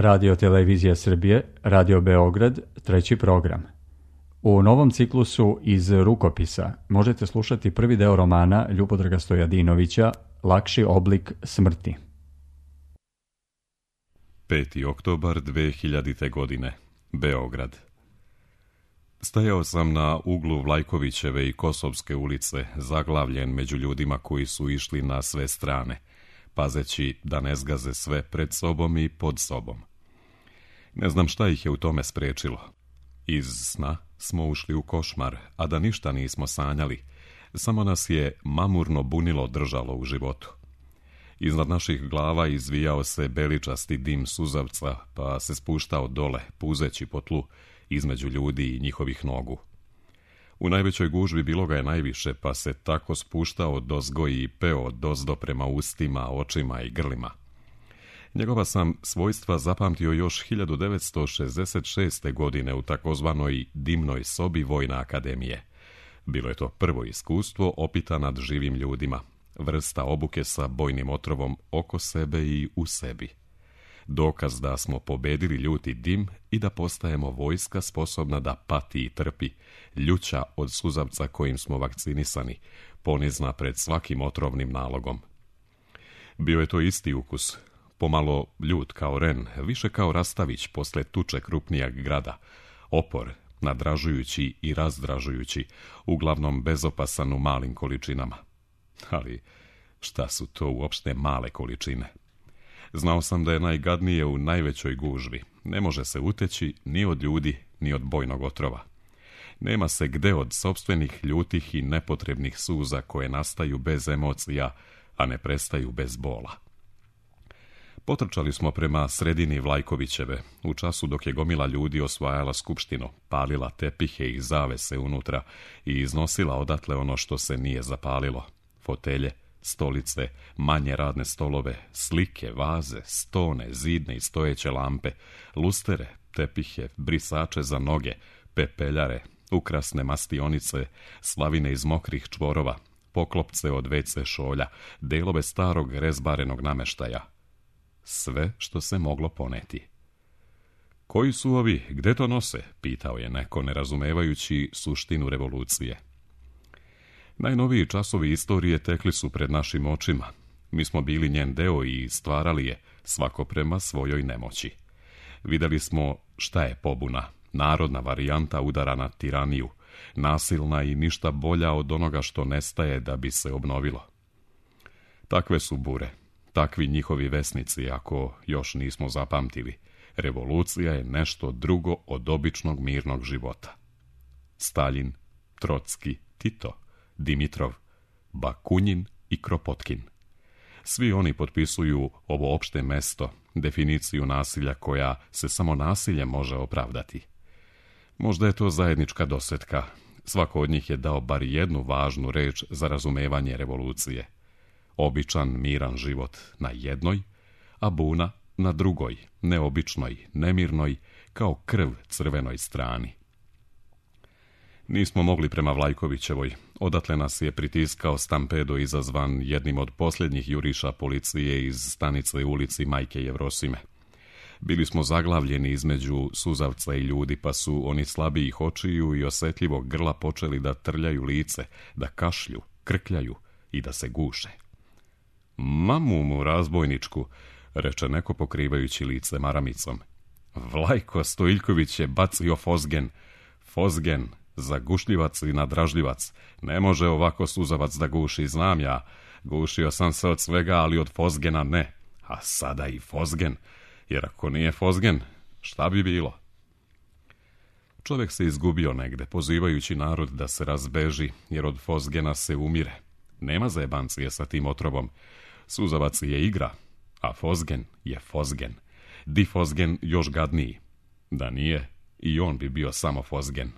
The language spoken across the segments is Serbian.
Radio Televizija Srbije, Radio Beograd, treći program. U novom ciklusu Iz rukopisa možete slušati prvi deo romana Ljubodraga Stojadinovića Lakši oblik smrti. 5. oktobar 2000. godine, Beograd. Stajao sam na uglu Vlajkovićeve i Kosovske ulice, zaglavljen među ljudima koji su išli na sve strane, pazeći da ne zgaze sve pred sobom i pod sobom. Ne znam šta ih je u tome sprečilo. Iz sna smo ušli u košmar, a da ništa nismo sanjali, samo nas je mamurno bunilo držalo u životu. Iznad naših glava izvijao se beličasti dim suzavca, pa se spuštao dole, puzeći po tlu, između ljudi i njihovih nogu. U najvećoj gužvi bilo ga je najviše, pa se tako spuštao dozgo i peo dozdo prema ustima, očima i grlima. Njegova sam svojstva zapamtio još 1966. godine u takozvanoj dimnoj sobi Vojne akademije. Bilo je to prvo iskustvo opita nad živim ljudima, vrsta obuke sa bojnim otrovom oko sebe i u sebi. Dokaz da smo pobedili ljuti dim i da postajemo vojska sposobna da pati i trpi, ljuća od suzavca kojim smo vakcinisani, ponizna pred svakim otrovnim nalogom. Bio je to isti ukus, pomalo ljut kao ren, više kao rastavić posle tuče krupnijeg grada, opor, nadražujući i razdražujući, uglavnom bezopasan u malim količinama. Ali šta su to uopšte male količine? Znao sam da je najgadnije u najvećoj gužvi. Ne može se uteći ni od ljudi, ni od bojnog otrova. Nema se gde od sopstvenih ljutih i nepotrebnih suza koje nastaju bez emocija, a ne prestaju bez bola. Potrčali smo prema sredini Vlajkovićeve, u času dok je gomila ljudi osvajala skupštinu, palila tepihe i zavese unutra i iznosila odatle ono što se nije zapalilo. Fotelje, stolice, manje radne stolove, slike, vaze, stone, zidne i stojeće lampe, lustere, tepihe, brisače za noge, pepeljare, ukrasne mastionice, slavine iz mokrih čvorova, poklopce od WC šolja, delove starog rezbarenog nameštaja. Sve što se moglo poneti. Koji su ovi, gde to nose? Pitao je neko, nerazumevajući suštinu revolucije. Najnoviji časovi istorije tekli su pred našim očima. Mi smo bili njen deo i stvarali je, svako prema svojoj nemoći. Videli smo šta je pobuna, narodna varijanta udara na tiraniju, nasilna i ništa bolja od onoga što nestaje da bi se obnovilo. Takve su bure, takvi njihovi vesnici, ako još nismo zapamtili. Revolucija je nešto drugo od običnog mirnog života. Staljin, Trocki, Tito, Dimitrov, Bakunjin i Kropotkin. Svi oni potpisuju ovo opšte mesto, definiciju nasilja koja se samo nasiljem može opravdati. Možda je to zajednička dosjetka. Svako od njih je dao bar jednu važnu reč za razumevanje revolucije. Običan, miran život na jednoj, a buna na drugoj, neobičnoj, nemirnoj, kao krv crvenoj strani. Nismo mogli prema Vlajkovićevoj. Odatle nas je pritiskao stampedo izazvan jednim od posljednjih juriša policije iz stanice ulici Majke Jevrosime. Bili smo zaglavljeni između suzavca i ljudi, pa su oni slabijih očiju i osjetljivog grla počeli da trljaju lice, da kašlju, krkljaju i da se guše. Mamu mu razbojničku, reče neko pokrivajući lice maramicom. Vlajko Stojiljković je bacio fozgen. Fozgen, zagušljivac i nadražljivac. Ne može ovako suzavac da guši, znam ja. Gušio sam se od svega, ali od fozgena ne. A sada i fozgen, jer ako nije fozgen, šta bi bilo? Čovjek se izgubio negde, pozivajući narod da se razbeži, jer od fozgena se umire. Nema zajebancije sa tim otrovom. Suzavac je igra, a fozgen je fozgen. Di fozgen još gadniji. Da nije, i on bi bio samo fozgen.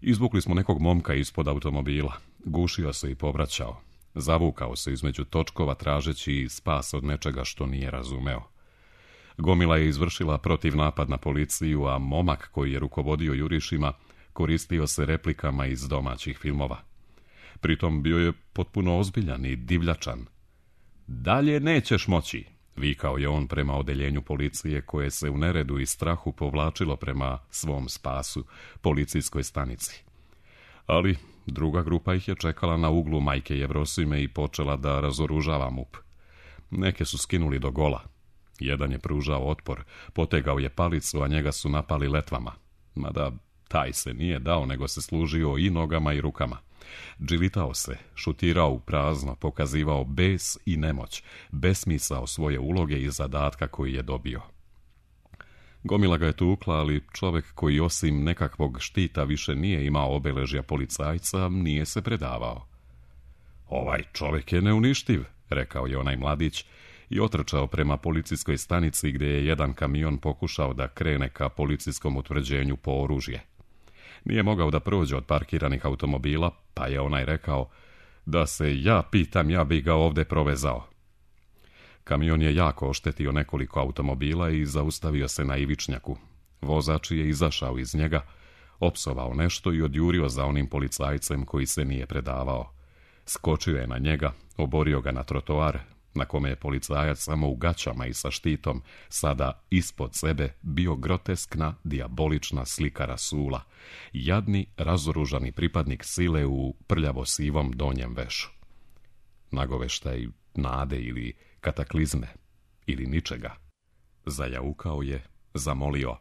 Izvukli smo nekog momka ispod automobila. Gušio se i povraćao. Zavukao se između točkova tražeći spas od nečega što nije razumeo. Gomila je izvršila protiv napad na policiju, a momak koji je rukovodio jurišima koristio se replikama iz domaćih filmova. Pritom bio je potpuno ozbiljan i divljačan. Dalje nećeš moći. vikao je on prema odeljenju policije koje se u neredu i strahu povlačilo prema svom spasu, policijskoj stanici. Ali druga grupa ih je čekala na uglu Majke Jevrosime i počela da razoružava MUP. Neke su skinuli do gola. Jedan je pružao otpor, potegao je palicu, a njega su napali letvama. Mada taj se nije dao, nego se služio i nogama i rukama. Džilitao se, šutirao u prazno, pokazivao bes i nemoć, besmisao svoje uloge i zadatka koji je dobio. Gomila ga je tukla, ali čovjek koji osim nekakvog štita više nije imao obeležja policajca, nije se predavao. Ovaj čovjek je neuništiv, rekao je onaj mladić i otrčao prema policijskoj stanici gdje je jedan kamion pokušao da krene ka policijskom utvrđenju po oružje. Nije mogao da prođe od parkiranih automobila, pa je onaj rekao: da se ja pitam, ja bi ga ovdje provezao. Kamion je jako oštetio nekoliko automobila i zaustavio se na ivičnjaku. Vozač je izašao iz njega, opsovao nešto i odjurio za onim policajcem koji se nije predavao. Skočio je na njega, oborio ga na trotoar, na kome je policajac samo u gaćama i sa štitom, sada ispod sebe bio groteskna, dijabolična slika Rasula, jadni, razoružani pripadnik sile u prljavo-sivom donjem vešu. Nagoveštaj nade ili kataklizme, ili ničega. Zajaukao je, zamolio: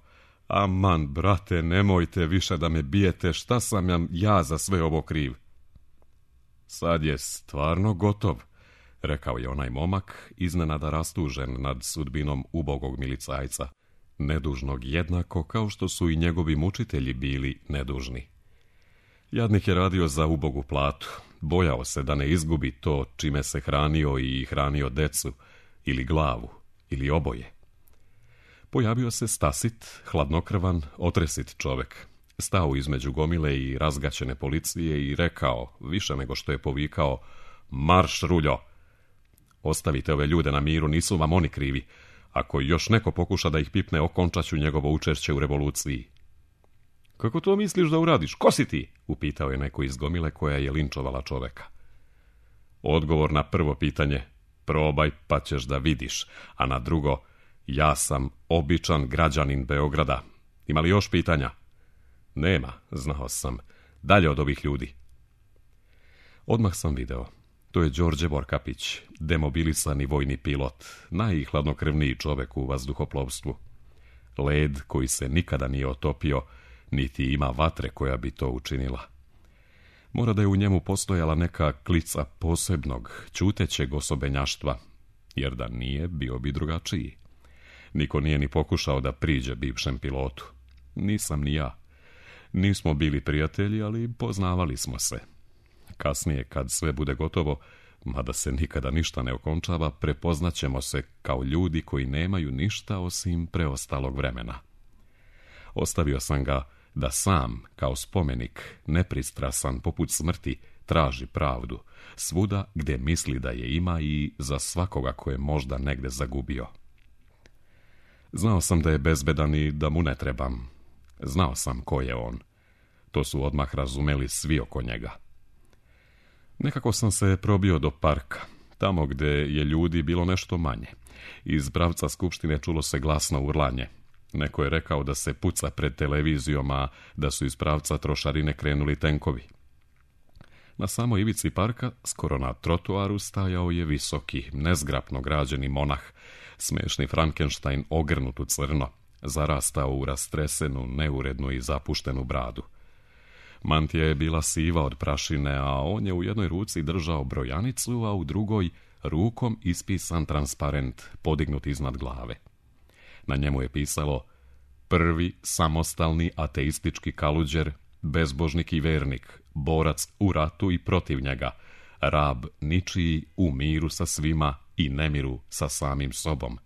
aman, brate, nemojte više da me bijete, šta sam ja za sve ovo kriv? Sad je stvarno gotov, rekao je onaj momak, iznenada rastužen nad sudbinom ubogog milicajca, nedužnog jednako kao što su i njegovi mučitelji bili nedužni. Jadnik je radio za ubogu platu, bojao se da ne izgubi to čime se hranio i hranio decu, ili glavu, ili oboje. Pojavio se stasit, hladnokrvan, otresit čovek. Stao između gomile i razgaćene policije i rekao, više nego što je povikao: marš, ruljo! Ostavite ove ljude na miru, nisu vam oni krivi. Ako još neko pokuša da ih pipne, okončat ću njegovo učešće u revoluciji. Kako to misliš da uradiš? Ko si ti? Upitao je neko iz gomile koja je linčovala čoveka. Odgovor na prvo pitanje: probaj pa ćeš da vidiš, a na drugo: ja sam običan građanin Beograda. Ima li još pitanja? Nema, znao sam. Dalje od ovih ljudi. Odmah sam video. To je Đorđe Vorkapić, demobilisani vojni pilot, najhladnokrvniji čovek u vazduhoplovstvu. Led koji se nikada nije otopio, niti ima vatre koja bi to učinila. Mora da je u njemu postojala neka klica posebnog, ćutećeg osobenjaštva, jer da nije, bio bi drugačiji. Niko nije ni pokušao da priđe bivšem pilotu. Nisam ni ja. Nismo bili prijatelji, ali poznavali smo se. Kasnije, kad sve bude gotovo, mada se nikada ništa ne okončava, prepoznaćemo se kao ljudi koji nemaju ništa osim preostalog vremena. Ostavio sam ga da sam, kao spomenik, nepristrasan poput smrti, traži pravdu, svuda gdje misli da je ima i za svakoga ko je možda negde zagubio. Znao sam da je bezbedan i da mu ne trebam. Znao sam ko je on. To su odmah razumeli svi oko njega. Nekako sam se probio do parka, tamo gdje je ljudi bilo nešto manje. Iz pravca skupštine čulo se glasno urlanje. Neko je rekao da se puca pred televizijom, a da su iz pravca trošarine krenuli tenkovi. Na samoj ivici parka, skoro na trotuaru, stajao je visoki, nezgrapno građeni monah, smešni Frankenstein ogrnut u crno, zarastao u rastresenu, neurednu i zapuštenu bradu. Mantija je bila siva od prašine, a on je u jednoj ruci držao brojanicu, a u drugoj rukom ispisan transparent podignut iznad glave. Na njemu je pisalo: prvi samostalni ateistički kaluđer, bezbožnik i vernik, borac u ratu i protiv njega, rab ničiji u miru sa svima i nemiru sa samim sobom.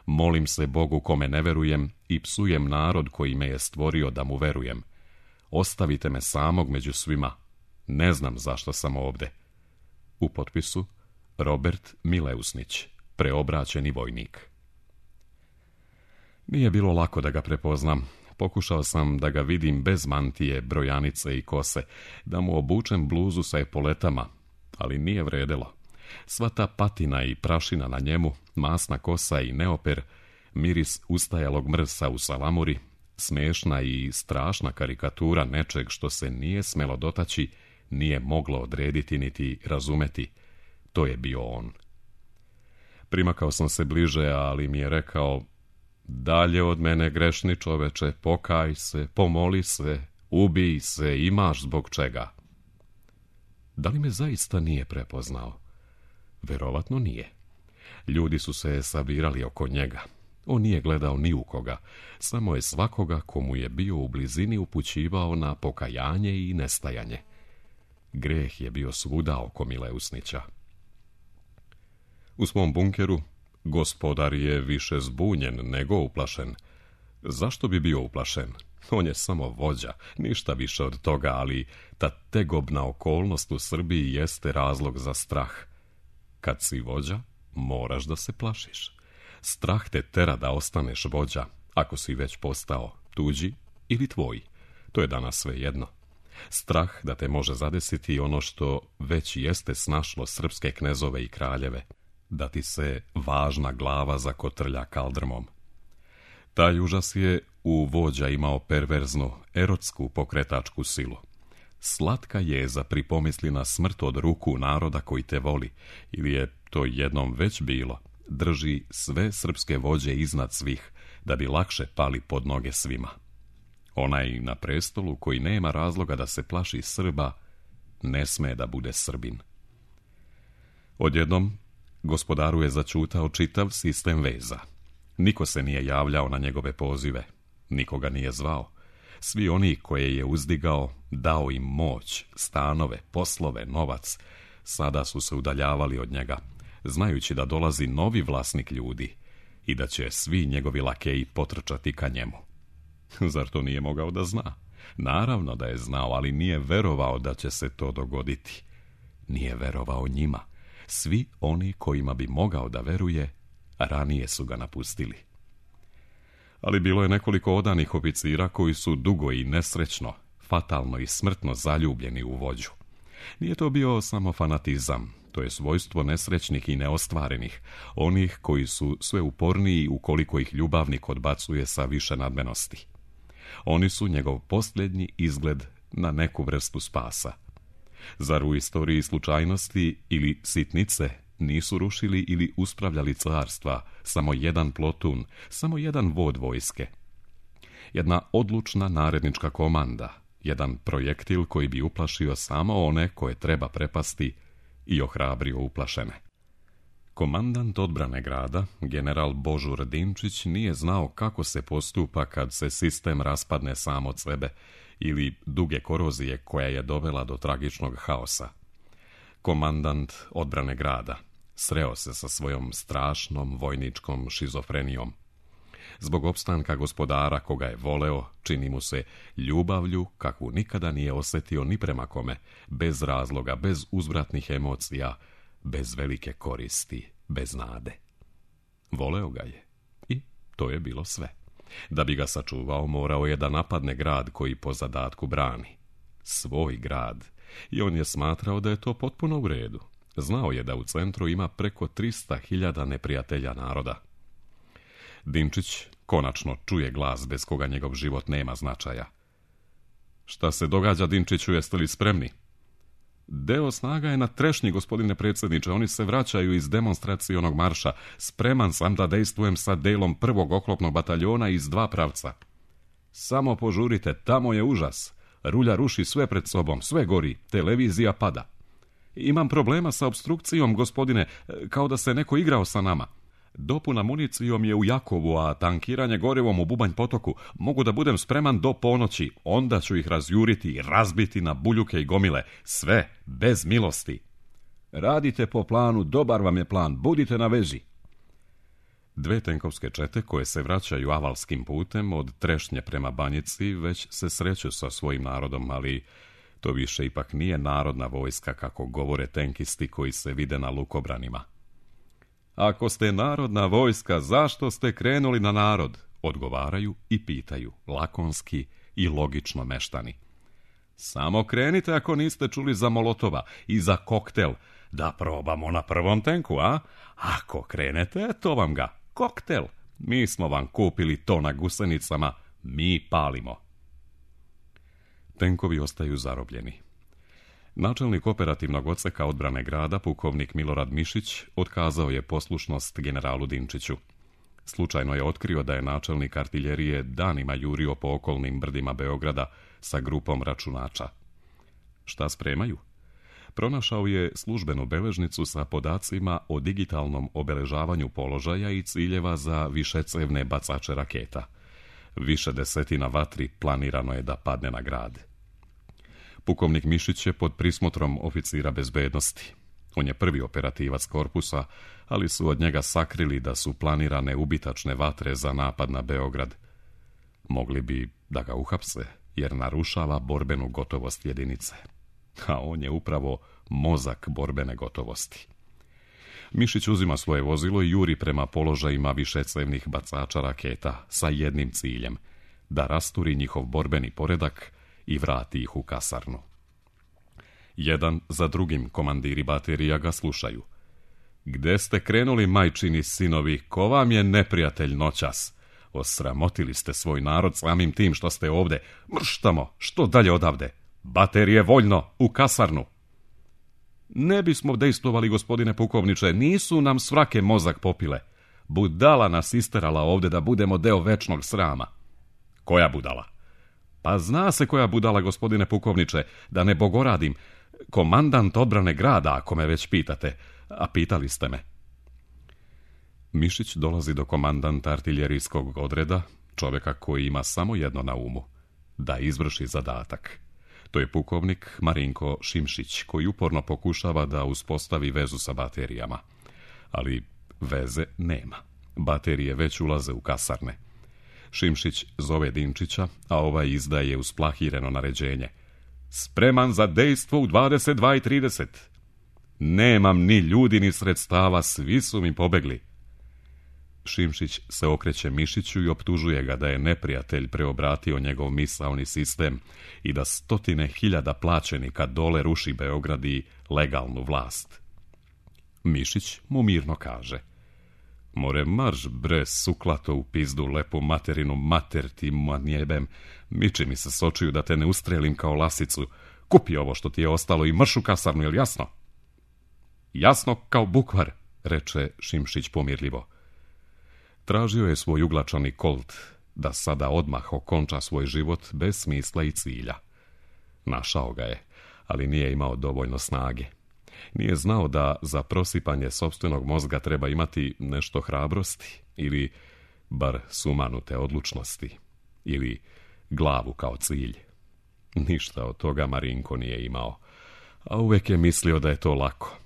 Molim se Bogu kome ne verujem i psujem narod koji me je stvorio da mu verujem. Ostavite me samog među svima. Ne znam zašto sam ovde. U potpisu Robert Mileusnić, preobraćeni vojnik. Nije bilo lako da ga prepoznam. Pokušao sam da ga vidim bez mantije, brojanice i kose, da mu obučem bluzu sa epoletama, ali nije vredelo. Sva ta patina i prašina na njemu, masna kosa i neoper, miris ustajalog mrsa u salamuri, smešna i strašna karikatura nečeg što se nije smelo dotaći, nije moglo odrediti niti razumeti. To je bio on. Primakao sam se bliže, ali mi je rekao: dalje od mene, grešni čoveče, pokaj se, pomoli se, ubij se, imaš zbog čega. Da li me zaista nije prepoznao? Verovatno nije. Ljudi su se sabirali oko njega. On nije gledao ni u koga, samo je svakoga komu je bio u blizini upućivao na pokajanje i nestajanje. Greh je bio svuda oko Mileusnića. U svom bunkeru gospodar je više zbunjen nego uplašen. Zašto bi bio uplašen? On je samo vođa, ništa više od toga, ali ta tegobna okolnost u Srbiji jeste razlog za strah. Kad si vođa, moraš da se plašiš. Strah te tera da ostaneš vođa, ako si već postao tuđi ili tvoj. To je danas svejedno. Strah da te može zadesiti ono što već jeste snašlo srpske knezove i kraljeve, da ti se važna glava zakotrlja kaldrmom. Taj užas je u vođa imao perverznu, erotsku pokretačku silu. Slatka jeza pripomisli na smrt od ruku naroda koji te voli, ili je to jednom već bilo, drži sve srpske vođe iznad svih, da bi lakše pali pod noge svima. Onaj na prestolu koji nema razloga da se plaši Srba, ne sme da bude Srbin. Odjednom, gospodaru je začutao čitav sistem veza. Niko se nije javljao na njegove pozive, nikoga nije zvao. Svi oni koje je uzdigao, dao im moć, stanove, poslove, novac, sada su se udaljavali od njega, znajući da dolazi novi vlasnik ljudi i da će svi njegovi lakeji potrčati ka njemu. Zar to nije mogao da zna? Naravno da je znao, ali nije verovao da će se to dogoditi. Nije verovao njima. Svi oni kojima bi mogao da veruje, ranije su ga napustili. Ali bilo je nekoliko odanih oficira koji su dugo i nesrećno, fatalno i smrtno zaljubljeni u vođu. Nije to bio samo fanatizam, to je svojstvo nesrećnih i neostvarenih, onih koji su sve uporniji ukoliko ih ljubavnik odbacuje sa više nadmenosti. Oni su njegov posljednji izgled na neku vrstu spasa. Zar u istoriji slučajnosti ili sitnice nisu rušili ili uspravljali carstva samo jedan plotun, samo jedan vod vojske? Jedna odlučna narednička komanda, jedan projektil koji bi uplašio samo one koje treba prepasti i ohrabrio uplašene. Komandant odbrane grada, general Božur Dinčić, nije znao kako se postupa kad se sistem raspadne sam od sebe ili duge korozije koja je dovela do tragičnog haosa. Komandant odbrane grada sreo se sa svojom strašnom vojničkom šizofrenijom. Zbog opstanka gospodara koga je voleo, čini mu se ljubavlju kakvu nikada nije osjetio ni prema kome, bez razloga, bez uzvratnih emocija, bez velike koristi, bez nade. Voleo ga je i to je bilo sve. Da bi ga sačuvao, morao je da napadne grad koji po zadatku brani. Svoj grad. I on je smatrao da je to potpuno u redu. Znao je da u centru ima preko 300.000 neprijatelja naroda. Dinčić konačno čuje glas bez koga njegov život nema značaja. Šta se događa, Dinčiću, jeste li spremni? Deo snaga je na Trešnji, gospodine predsjedniče, oni se vraćaju iz demonstracionog marša. Spreman sam da dejstvujem sa delom 1. oklopnog bataljona iz 2 pravca. Samo požurite, tamo je užas. Rulja ruši sve pred sobom, sve gori, televizija pada. Imam problema sa opstrukcijom, gospodine, kao da se neko igrao sa nama. Dopuna municijom je u Jakovu, a tankiranje gorivom u Bubanj potoku. Mogu da budem spreman do ponoći, onda ću ih razjuriti i razbiti na buljuke i gomile. Sve, bez milosti. Radite po planu, dobar vam je plan, budite na vezi. 2 tenkovske čete koje se vraćaju avalskim putem od Trešnje prema Banjici već se sreću sa svojim narodom, ali to više ipak nije narodna vojska kako govore tenkisti koji se vide na lukobranima. Ako ste narodna vojska, zašto ste krenuli na narod? Odgovaraju i pitaju, lakonski i logično meštani. Samo krenite ako niste čuli za Molotova i za koktel. Da probamo na prvom tenku, a? Ako krenete, to vam ga. Koktel. Mi smo vam kupili to na gusenicama. Mi palimo. Tenkovi ostaju zarobljeni. Načelnik operativnog odseka odbrane grada, pukovnik Milorad Mišić, otkazao je poslušnost generalu Dinčiću. Slučajno je otkrio da je načelnik artiljerije danima jurio po okolnim brdima Beograda sa grupom računača. Šta spremaju? Pronašao je službenu beležnicu sa podacima o digitalnom obeležavanju položaja i ciljeva za višecevne bacače raketa. Više desetina vatri planirano je da padne na grad. Pukovnik Mišić je pod prismotrom oficira bezbednosti. On je prvi operativac korpusa, ali su od njega sakrili da su planirane ubitačne vatre za napad na Beograd. Mogli bi da ga uhapse, jer narušava borbenu gotovost jedinice. A on je upravo mozak borbene gotovosti. Mišić uzima svoje vozilo i juri prema položajima višecevnih bacača raketa sa jednim ciljem, da rasturi njihov borbeni poredak i vrati ih u kasarnu. Jedan za drugim komandiri baterija ga slušaju. Gde ste krenuli, majčini sinovi, ko vam je neprijatelj noćas? Osramotili ste svoj narod samim tim što ste ovde. Mrštamo, što dalje odavde? Baterije voljno, u kasarnu. Ne bismo dejstvovali, gospodine pukovniče, nisu nam svrake mozak popile. Budala nas isterala ovde da budemo deo večnog srama. Koja budala? Pa zna se koja budala, gospodine pukovniče, da ne bogoradim. Komandant odbrane grada, ako me već pitate, a pitali ste me. Mišić dolazi do komandanta artiljerijskog odreda, čovjeka koji ima samo jedno na umu, da izvrši zadatak. To je pukovnik Marinko Šimšić, koji uporno pokušava da uspostavi vezu sa baterijama. Ali veze nema. Baterije već ulaze u kasarne. Šimšić zove Dinčića, a ovaj izdaje usplahireno naređenje. Spreman za dejstvo u 22:30. Nemam ni ljudi ni sredstava, svi su mi pobegli. Šimšić se okreće Mišiću i optužuje ga da je neprijatelj preobratio njegov misaoni sistem i da 100.000 plaćenika dole ruši Beograd i legalnu vlast. Mišić mu mirno kaže: More marš bre, suklato u pizdu, lepu materinu, mater ti manjebem, miči mi se sočiju da te ne ustrelim kao lasicu, kupi ovo što ti je ostalo i marš u kasarnu, jel jasno? Jasno kao bukvar, reče Šimšić pomirljivo. Tražio je svoj uglačani kolt, da sada odmah okonča svoj život bez smisla i cilja. Našao ga je, ali nije imao dovoljno snage. Nije znao da za prosipanje sopstvenog mozga treba imati nešto hrabrosti, ili bar sumanute odlučnosti, ili glavu kao cilj. Ništa od toga Marinko nije imao, a uvek je mislio da je to lako.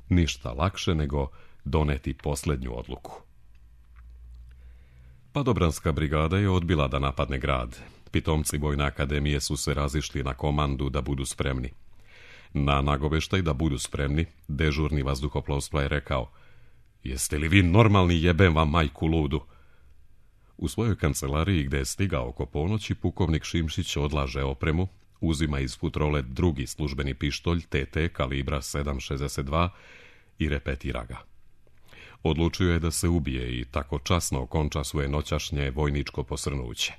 Ništa lakše nego doneti posljednju odluku. Padobranska brigada je odbila da napadne grad. Pitomci Vojne akademije su se razišli na komandu da budu spremni. Na nagoveštaj da budu spremni, dežurni vazduhoplovstva je rekao: Jeste li vi normalni, jebem vam majku ludu? U svojoj kancelariji, gde je stigao oko ponoći, pukovnik Šimšić odlaže opremu, uzima iz futrole drugi službeni pištolj TT kalibra 7,62 i repetira ga. Odlučio je da se ubije i tako časno okonča svoje noćašnje vojničko posrnuće.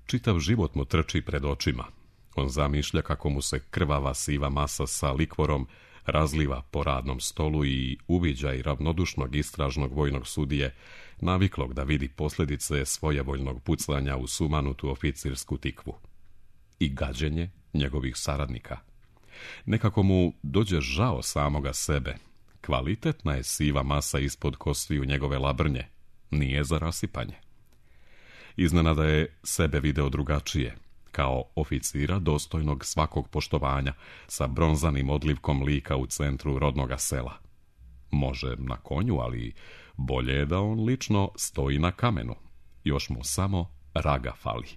Čitav život mu trči pred očima. On zamišlja kako mu se krvava siva masa sa likvorom razliva po radnom stolu i uviđaj ravnodušnog istražnog vojnog sudije, naviklog da vidi posljedice svojevoljnog pucanja u sumanutu oficirsku tikvu. I gađenje njegovih saradnika. Nekako mu dođe žao samoga sebe. Kvalitetna je siva masa ispod kostiju njegove labrnje. Nije za rasipanje. Iznenada je sebe video drugačije, kao oficira dostojnog svakog poštovanja, sa bronzanim odlivkom lika u centru rodnoga sela. Može na konju, ali bolje je da on lično stoji na kamenu. Još mu samo raga fali.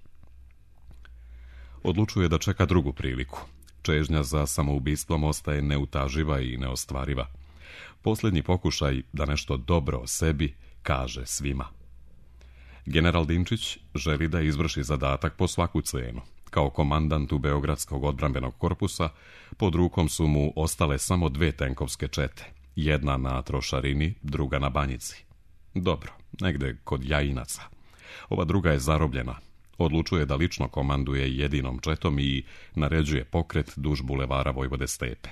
Odlučuje da čeka drugu priliku. Čežnja za samoubistvom ostaje neutaživa i neostvariva. Posljednji pokušaj da nešto dobro o sebi kaže svima. General Dinčić želi da izvrši zadatak po svaku cenu. kao komandantu Beogradskog odbrambenog korpusa, pod rukom su mu ostale samo 2 tenkovske čete, jedna na Trošarini, druga na Banjici. Dobro, negde kod Jajinaca. Ova druga je zarobljena. Odlučuje da lično komanduje jedinom četom i naređuje pokret duž bulevara Vojvode Stepe.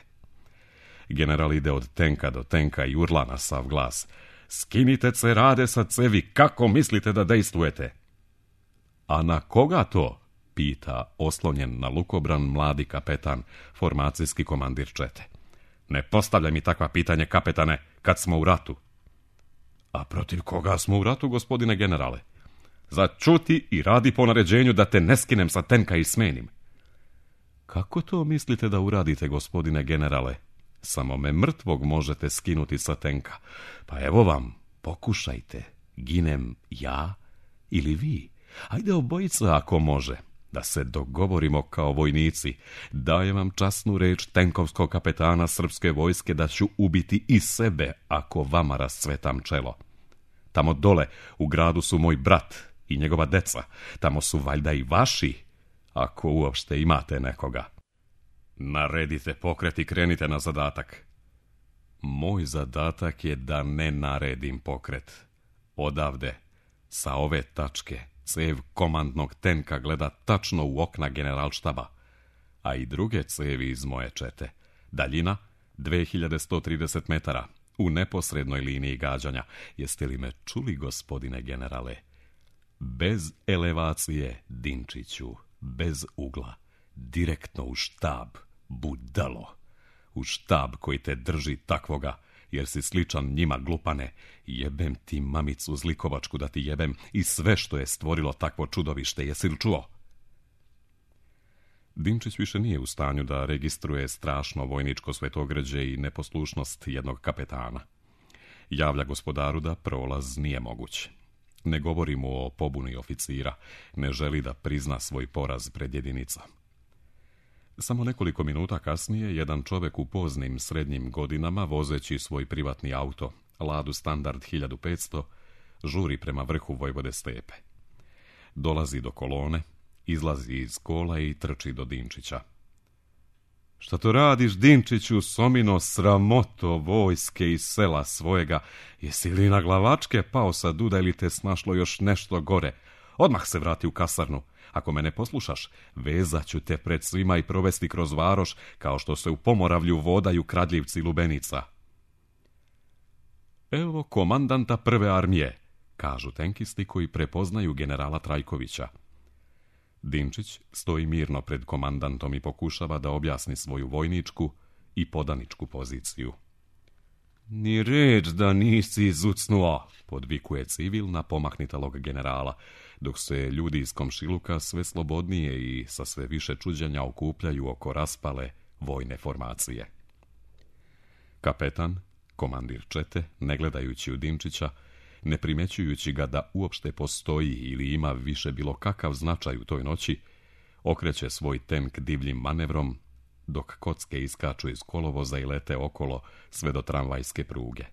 General ide od tenka do tenka i urla na sav glas: "Skinite se rade sa cevi, kako mislite da dejstvujete?" "A na koga to?" pita oslonjen na lukobran mladi kapetan, formacijski komandir čete. "Ne postavljaj mi takva pitanje, kapetane, kad smo u ratu." "A protiv koga smo u ratu, gospodine generale?" "Začuti i radi po naređenju da te ne skinem sa tenka i smenim." "Kako to mislite da uradite, gospodine generale? Samo me mrtvog možete skinuti sa tenka. Pa evo vam, pokušajte. Ginem ja ili vi. Ajde obojica ako može. Da se dogovorimo kao vojnici. Dajem vam časnu reč tenkovskog kapetana srpske vojske da ću ubiti i sebe ako vama rascvetam čelo. Tamo dole u gradu su moj brat i njegova deca. Tamo su valjda i vaši, ako uopšte imate nekoga. Naredite pokret i krenite na zadatak." "Moj zadatak je da ne naredim pokret. Odavde, sa ove tačke, cev komandnog tenka gleda tačno u okna generalštaba, a i druge cevi iz moje čete. Daljina 2130 metara, u neposrednoj liniji gađanja. Jeste li me čuli, gospodine generale? Bez elevacije, Dinčiću, bez ugla. Direktno u štab, budalo. U štab koji te drži takvoga, jer si sličan njima, glupane. Jebem ti mamicu zlikovačku da ti jebem i sve što je stvorilo takvo čudovište, jesi li čuo?" Dinčić više nije u stanju da registruje strašno vojničko svetogrđe i neposlušnost jednog kapetana. Javlja gospodaru da prolaz nije moguć. Ne govori mu o pobuni oficira, ne želi da prizna svoj poraz pred jedinicom. Samo nekoliko minuta kasnije, jedan čovek u poznim srednjim godinama, vozeći svoj privatni auto, Ladu Standard 1500, žuri prema vrhu Vojvode Stepe. Dolazi do kolone, izlazi iz kola i trči do Dinčića. "Šta to radiš, Dinčiću, somino, sramoto vojske iz sela svojega? Jesi li na glavačke pao sa duda ili te snašlo još nešto gore? Odmah se vrati u kasarnu. Ako me ne poslušaš, vezat ću te pred svima i provesti kroz varoš, kao što se u Pomoravlju vodaju kradljivci lubenica." "Evo komandanta prve armije," kažu tenkisti koji prepoznaju generala Trajkovića. Dinčić stoji mirno pred komandantom i pokušava da objasni svoju vojničku i podaničku poziciju. "Ni reč da nisi izucnuo," podvikuje civil na pomaknitalog generala, dok se ljudi iz komšiluka sve slobodnije i sa sve više čuđenja okupljaju oko raspale vojne formacije. Kapetan, komandir čete, ne gledajući u Dinčića, ne primećujući ga da uopšte postoji ili ima više bilo kakav značaj u toj noći, okreće svoj tenk divljim manevrom, dok kocke iskaču iz kolovoza i lete okolo sve do tramvajske pruge.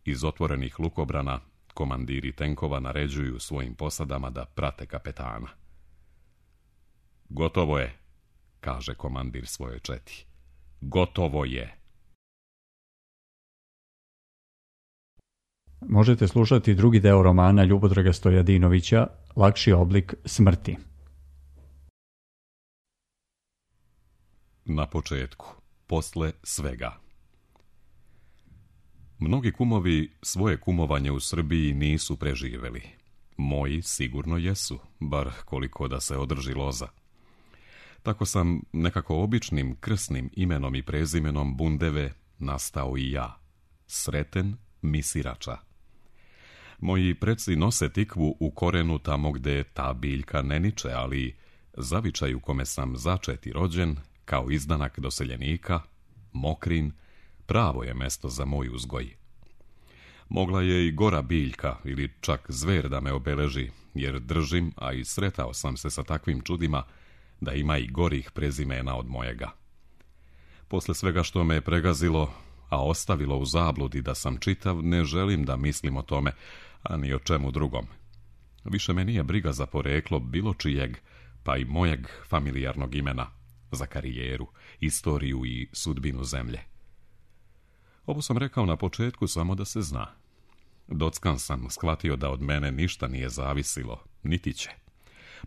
Iz otvorenih lukobrana komandiri tenkova naređuju svojim posadama da prate kapetana. "Gotovo je," kaže komandir svoje četi. "Gotovo je." Možete slušati drugi deo romana Ljubodraga Stojadinovića, Lakši oblik smrti. Na početku, posle svega. Mnogi kumovi svoje kumovanje u Srbiji nisu preživeli. Moji sigurno jesu, bar koliko da se održi loza. Tako sam nekako običnim krsnim imenom i prezimenom Bundeve nastao i ja, Sreten Misirača. Moji preci nose tikvu u korenu tamo gde ta biljka ne niče, ali zavičaj u kome sam začet i rođen, kao izdanak doseljenika, Mokrin, pravo je mesto za moj uzgoj. Mogla je i gora biljka ili čak zver da me obeleži, jer držim, a i sretao sam se sa takvim čudima, da ima i gorih prezimena od mojega. Posle svega što me je pregazilo, a ostavilo u zabludi da sam čitav, ne želim da mislim o tome, a ni o čemu drugom. Više me nije briga za poreklo bilo čijeg pa i mojeg familijarnog imena, za karijeru, istoriju i sudbinu zemlje. Ovo sam rekao na početku samo da se zna. Dockan sam shvatio da od mene ništa nije zavisilo, niti će.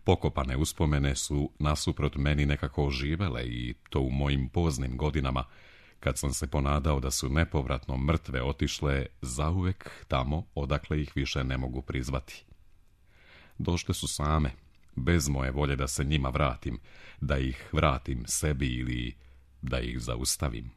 Pokopane uspomene su nasuprot meni nekako oživele i to u mojim poznim godinama, kad sam se ponadao da su nepovratno mrtve otišle zauvek tamo odakle ih više ne mogu prizvati. Došle su same, bez moje volje da se njima vratim, da ih vratim sebi ili da ih zaustavim.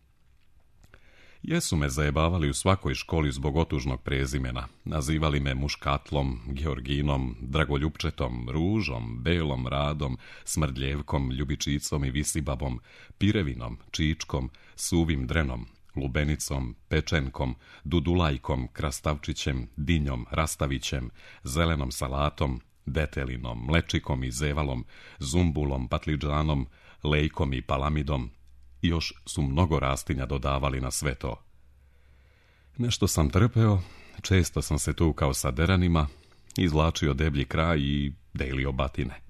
Jesu me zajebavali u svakoj školi zbog otužnog prezimena, nazivali me Muškatlom, Georginom, Dragoljupčetom, Ružom, Belom Radom, Smrdljevkom, Ljubičicom i Visibabom, Pirevinom, Čičkom, Suvim Drenom, Lubenicom, Pečenkom, Dudulajkom, Krastavčićem, Dinjom, Rastavićem, Zelenom salatom, Detelinom, Mlečikom i Zevalom, Zumbulom, Patlidžanom, Lejkom i Palamidom. I još su mnogo rastinja dodavali na sve to. Nešto sam trpeo, često sam se tukao sa deranima, izvlačio deblji kraj i delio batine.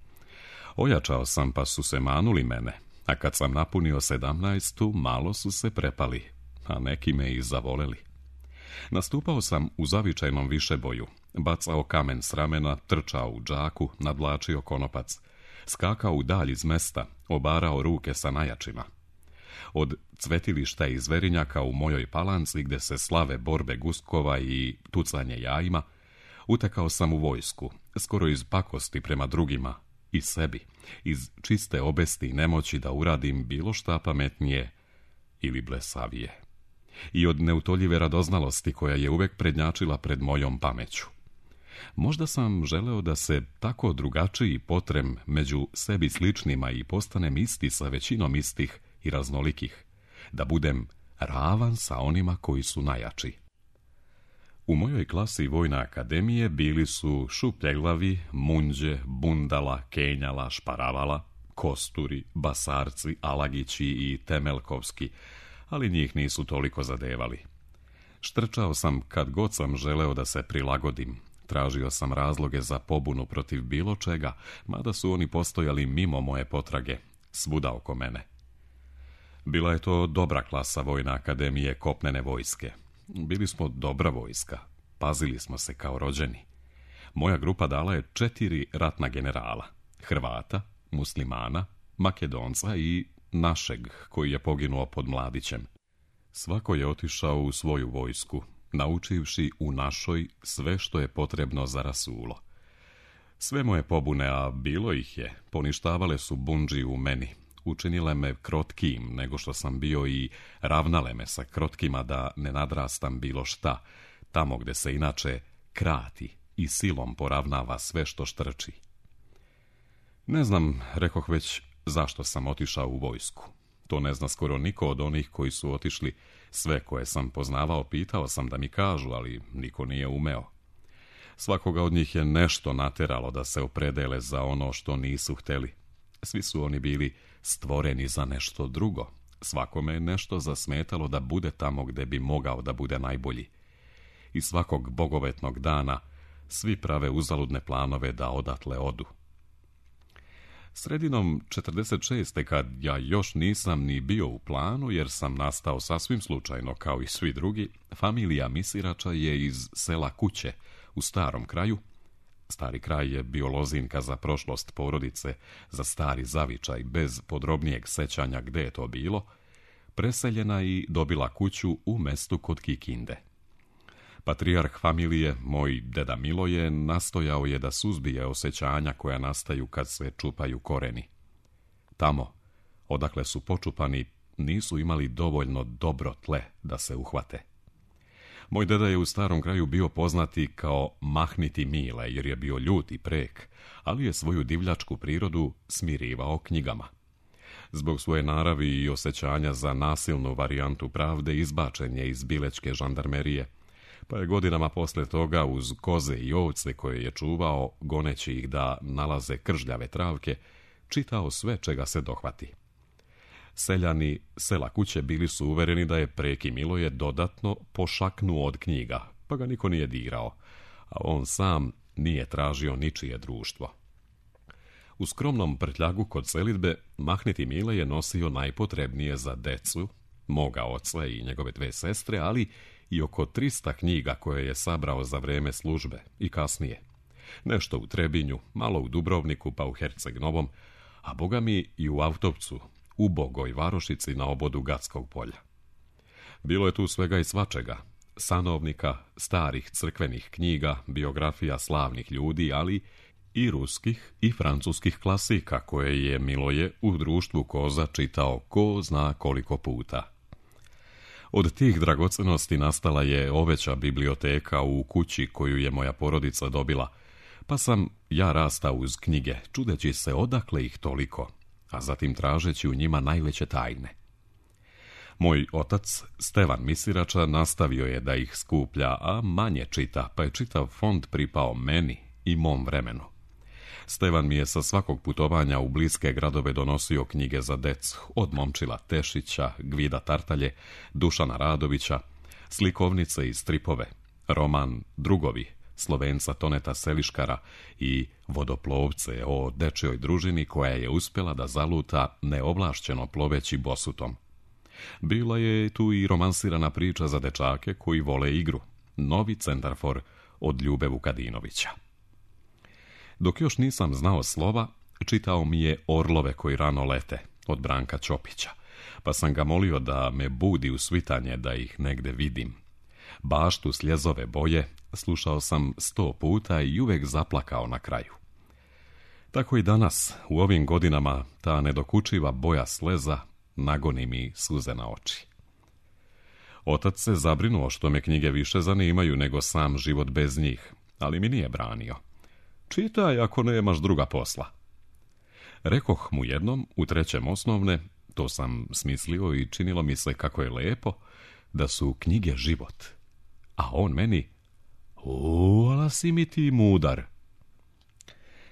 Ojačao sam pa su se manuli mene, a kad sam napunio 17, malo su se prepali, a neki me i zavoleli. Nastupao sam u zavičajnom višeboju, bacao kamen s ramena, trčao u džaku, nadvlačio konopac, skakao u dalj iz mesta, obarao ruke sa najjačima. Od cvetilišta i zverinjaka u mojoj Palanci, gde se slave borbe guskova i tucanje jajima, utekao sam u vojsku, skoro iz pakosti prema drugima i sebi, iz čiste obesti i nemoći da uradim bilo šta pametnije ili blesavije. I od neutoljive radoznalosti koja je uvek prednjačila pred mojom pameću. Možda sam želeo da se tako drugačiji potrem među sebi sličnima i postanem isti sa većinom istih i raznolikih, da budem ravan sa onima koji su najjači. U mojoj klasi Vojne akademije bili su Šupljeglavi, Munđe, Bundala, Kenjala, Šparavala, Kosturi, Basarci, Alagići i Temelkovski, ali njih nisu toliko zadevali. Štrčao sam kad god sam želeo da se prilagodim. Tražio sam razloge za pobunu protiv bilo čega, mada su oni postojali mimo moje potrage, svuda oko mene. Bila je to dobra klasa Vojne akademije kopnene vojske. Bili smo dobra vojska, pazili smo se kao rođeni. Moja grupa dala je 4 ratna generala, Hrvata, Muslimana, Makedonca i našeg koji je poginuo pod Mladićem. Svako je otišao u svoju vojsku, naučivši u našoj sve što je potrebno za rasulo. Sve moje pobune, a bilo ih je, poništavale su bundži u meni, učinile me krotkijim nego što sam bio i ravnale me sa krotkima da ne nadrastam bilo šta, tamo gde se inače krati i silom poravnava sve što štrči. Ne znam, rekoh već, zašto sam otišao u vojsku. To ne zna skoro niko od onih koji su otišli. Sve koje sam poznavao pitao sam da mi kažu, ali niko nije umeo. Svakoga od njih je nešto nateralo da se opredele za ono što nisu hteli. Svi su oni bili stvoreni za nešto drugo. Svakome je nešto zasmetalo da bude tamo gde bi mogao da bude najbolji. I svakog bogovetnog dana svi prave uzaludne planove da odatle odu. Sredinom 46. kad ja još nisam ni bio u planu, jer sam nastao sasvim slučajno kao i svi drugi, familija Misirača je iz sela Kuće u Starom kraju. Stari kraj je bio lozinka za prošlost porodice, za stari zavičaj, bez podrobnijeg sećanja gde je to bilo, preseljena i dobila kuću u mestu kod Kikinde. Patrijarh familije, moj deda Miloje, nastojao je da suzbije osjećanja koja nastaju kad se čupaju koreni. Tamo, odakle su počupani, nisu imali dovoljno dobro tle da se uhvate. Moj deda je u Starom kraju bio poznati kao Mahniti Mile, jer je bio ljut i prek, ali je svoju divljačku prirodu smirivao knjigama. Zbog svoje naravi i osjećanja za nasilnu varijantu pravde izbačen je iz bilečke žandarmerije, pa je godinama posle toga uz koze i ovce koje je čuvao, goneći ih da nalaze kržljave travke, čitao sve čega se dohvati. Seljani sela Kuće bili su uvereni da je preki Miloje dodatno pošaknuo od knjiga, pa ga niko nije dirao, a on sam nije tražio ničije društvo. U skromnom prtljagu kod selidbe Mahniti Mile je nosio najpotrebnije za decu, moga oca i njegove 2 sestre, ali i oko 300 knjiga koje je sabrao za vreme službe i kasnije. Nešto u Trebinju, malo u Dubrovniku pa u Herceg Novom, a boga mi i u Autovcu, u Bogoj Varošici na obodu Gatskog polja. Bilo je tu svega i svačega, sanovnika, starih crkvenih knjiga, biografija slavnih ljudi, ali i ruskih i francuskih klasika koje je Miloje u društvu koza čitao ko zna koliko puta. Od tih dragocenosti nastala je oveća biblioteka u kući koju je moja porodica dobila, pa sam ja rastao uz knjige, čudeći se odakle ih toliko, a zatim tražeći u njima najveće tajne. Moj otac, Stevan Misirača, nastavio je da ih skuplja, a manje čita, pa je čitav fond pripao meni i mom vremenu. Stevan mi je sa svakog putovanja u bliske gradove donosio knjige za decu, od Momčila Tešića, Gvida Tartalje, Dušana Radovića, slikovnice i stripove, roman Drugovi, Slovenca Toneta Seliškara i Vodoplovce o dečjoj družini koja je uspjela da zaluta neovlašćeno ploveći bosutom. Bila je tu i romansirana priča za dečake koji vole igru, Novi centarfor od Ljube Vukadinovića. Dok još nisam znao slova, čitao mi je Orlove koji rano lete od Branka Ćopića, pa sam ga molio da me budi u svitanje da ih negde vidim. Baštu sljezove boje slušao sam 100 puta i uvek zaplakao na kraju. Tako i danas, u ovim godinama, ta nedokučiva boja sleza nagoni mi suze na oči. Otac se zabrinuo što me knjige više zanimaju nego sam život bez njih, ali mi nije branio. Čitaj ako nemaš druga posla. Rekoh mu jednom, u 3. osnovne, to sam smislio i činilo mi se kako je lepo, da su knjige život. A on meni, ala si mi ti mudar.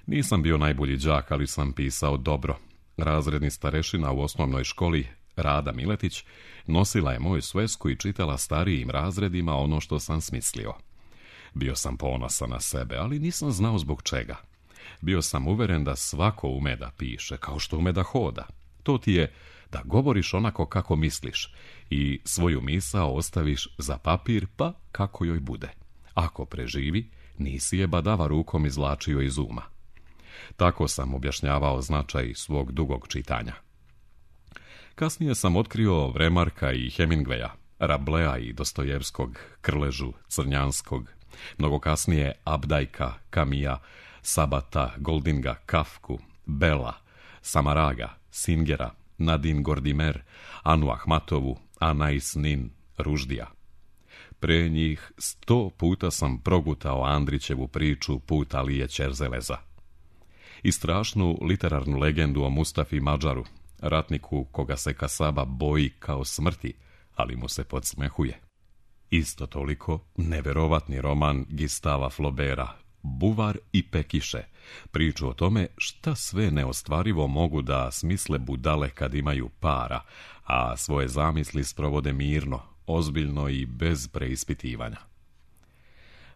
Nisam bio najbolji đak, ali sam pisao dobro. Razredni starešina u osnovnoj školi, Rada Miletić, nosila je moju svesku i čitala starijim razredima ono što sam smislio. Bio sam ponosan na sebe, ali nisam znao zbog čega. Bio sam uveren da svako ume da piše, kao što ume da hoda. To ti je da govoriš onako kako misliš i svoju misao ostaviš za papir, pa kako joj bude. Ako preživi, nisi je badava rukom izvlačio iz uma. Tako sam objašnjavao značaj svog dugog čitanja. Kasnije sam otkrio Vremarka i Hemingwaya, Rablea i Dostojevskog, Krležu, Crnjanskog, mnogo kasnije Abdajka, Kamija, Sabata, Goldinga, Kafku, Bela, Samaraga, Singera, Nadin Gordimer, Anu Ahmatovu, Anais Nin, Ruždija. Pre njih 100 puta sam progutao Andrićevu priču Put Alije Ćerzeleza. I strašnu literarnu legendu o Mustafi Madžaru, ratniku koga se Kasaba boji kao smrti, ali mu se podsmehuje. Isto toliko neverovatni roman Gustava Flaubera, Buvar i Pekiše, priču o tome šta sve neostvarivo mogu da smisle budale kad imaju para, a svoje zamisli sprovode mirno, ozbiljno i bez preispitivanja.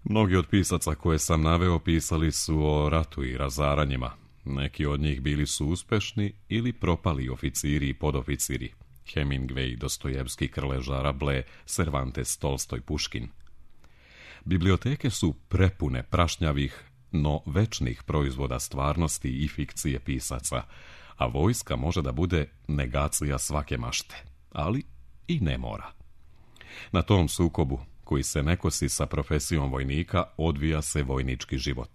Mnogi od pisaca koje sam naveo pisali su o ratu i razaranjima. Neki od njih bili su uspešni ili propali oficiri i podoficiri. Hemingway, Dostojevski, Krleža, Rabelais, Cervantes, Tolstoj, Puškin. Biblioteke su prepune prašnjavih, no večnih proizvoda stvarnosti i fikcije pisaca, a vojska može da bude negacija svake mašte, ali i ne mora. Na tom sukobu, koji se ne kosi sa profesijom vojnika, odvija se vojnički život.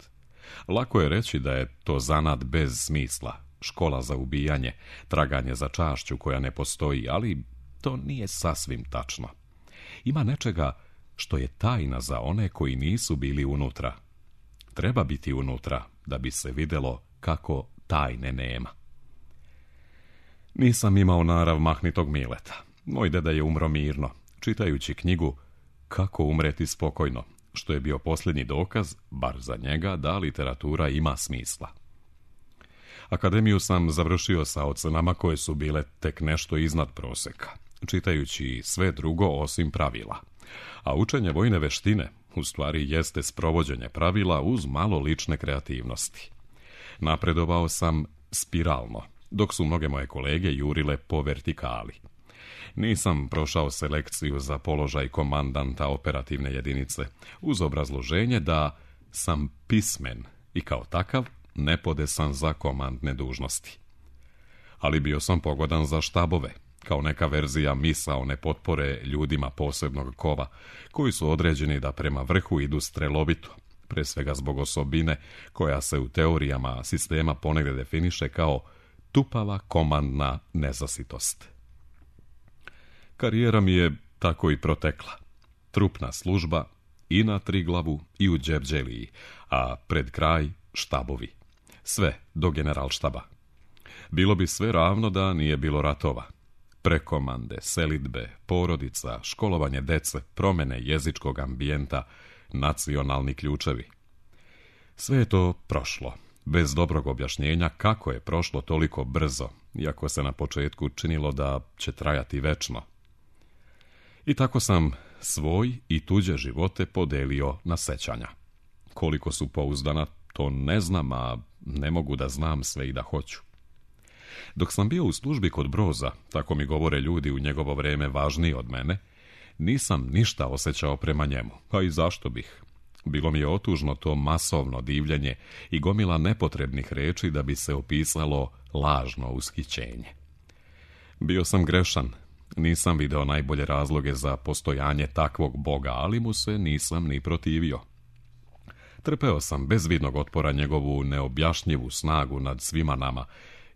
Lako je reći da je to zanat bez smisla, škola za ubijanje, traganje za čašću koja ne postoji, ali to nije sasvim tačno. Ima nečega što je tajna za one koji nisu bili unutra. Treba biti unutra da bi se videlo kako tajne nema. Nisam imao narav mahnitog Mileta. Moj deda je umro mirno, čitajući knjigu Kako umreti spokojno, što je bio posljednji dokaz, bar za njega, da literatura ima smisla. Akademiju sam završio sa ocenama koje su bile tek nešto iznad proseka, čitajući sve drugo osim pravila. A učenje vojne veštine u stvari jeste sprovođenje pravila uz malo lične kreativnosti. Napredovao sam spiralno, dok su mnoge moje kolege jurile po vertikali. Nisam prošao selekciju za položaj komandanta operativne jedinice, uz obrazloženje da sam pismen i kao takav nepodesan za komandne dužnosti. Ali bio sam pogodan za štabove, kao neka verzija misaone potpore ljudima posebnog kova, koji su određeni da prema vrhu idu strelovito, pre svega zbog osobine koja se u teorijama sistema ponegde definiše kao tupava komandna nezasitost. Karijera mi je tako i protekla. Trupna služba i na Triglavu i u Đevđeliji, a pred kraj štabovi. Sve do generalštaba. Bilo bi sve ravno da nije bilo ratova. Prekomande, selidbe, porodica, školovanje dece, promjene jezičkog ambijenta, nacionalni ključevi. Sve je to prošlo, bez dobrog objašnjenja kako je prošlo toliko brzo, iako se na početku činilo da će trajati večno. I tako sam svoj i tuđe živote podelio na sećanja. Koliko su pouzdana, to ne znam, a ne mogu da znam sve i da hoću. Dok sam bio u službi kod Broza, tako mi govore ljudi u njegovo vreme važniji od mene, nisam ništa osjećao prema njemu, a i zašto bih. Bilo mi je otužno to masovno divljenje i gomila nepotrebnih reči da bi se opisalo lažno ushićenje. Bio sam grešan, nisam video najbolje razloge za postojanje takvog Boga, ali mu se nisam ni protivio. Trpeo sam bez vidnog otpora njegovu neobjašnjivu snagu nad svima nama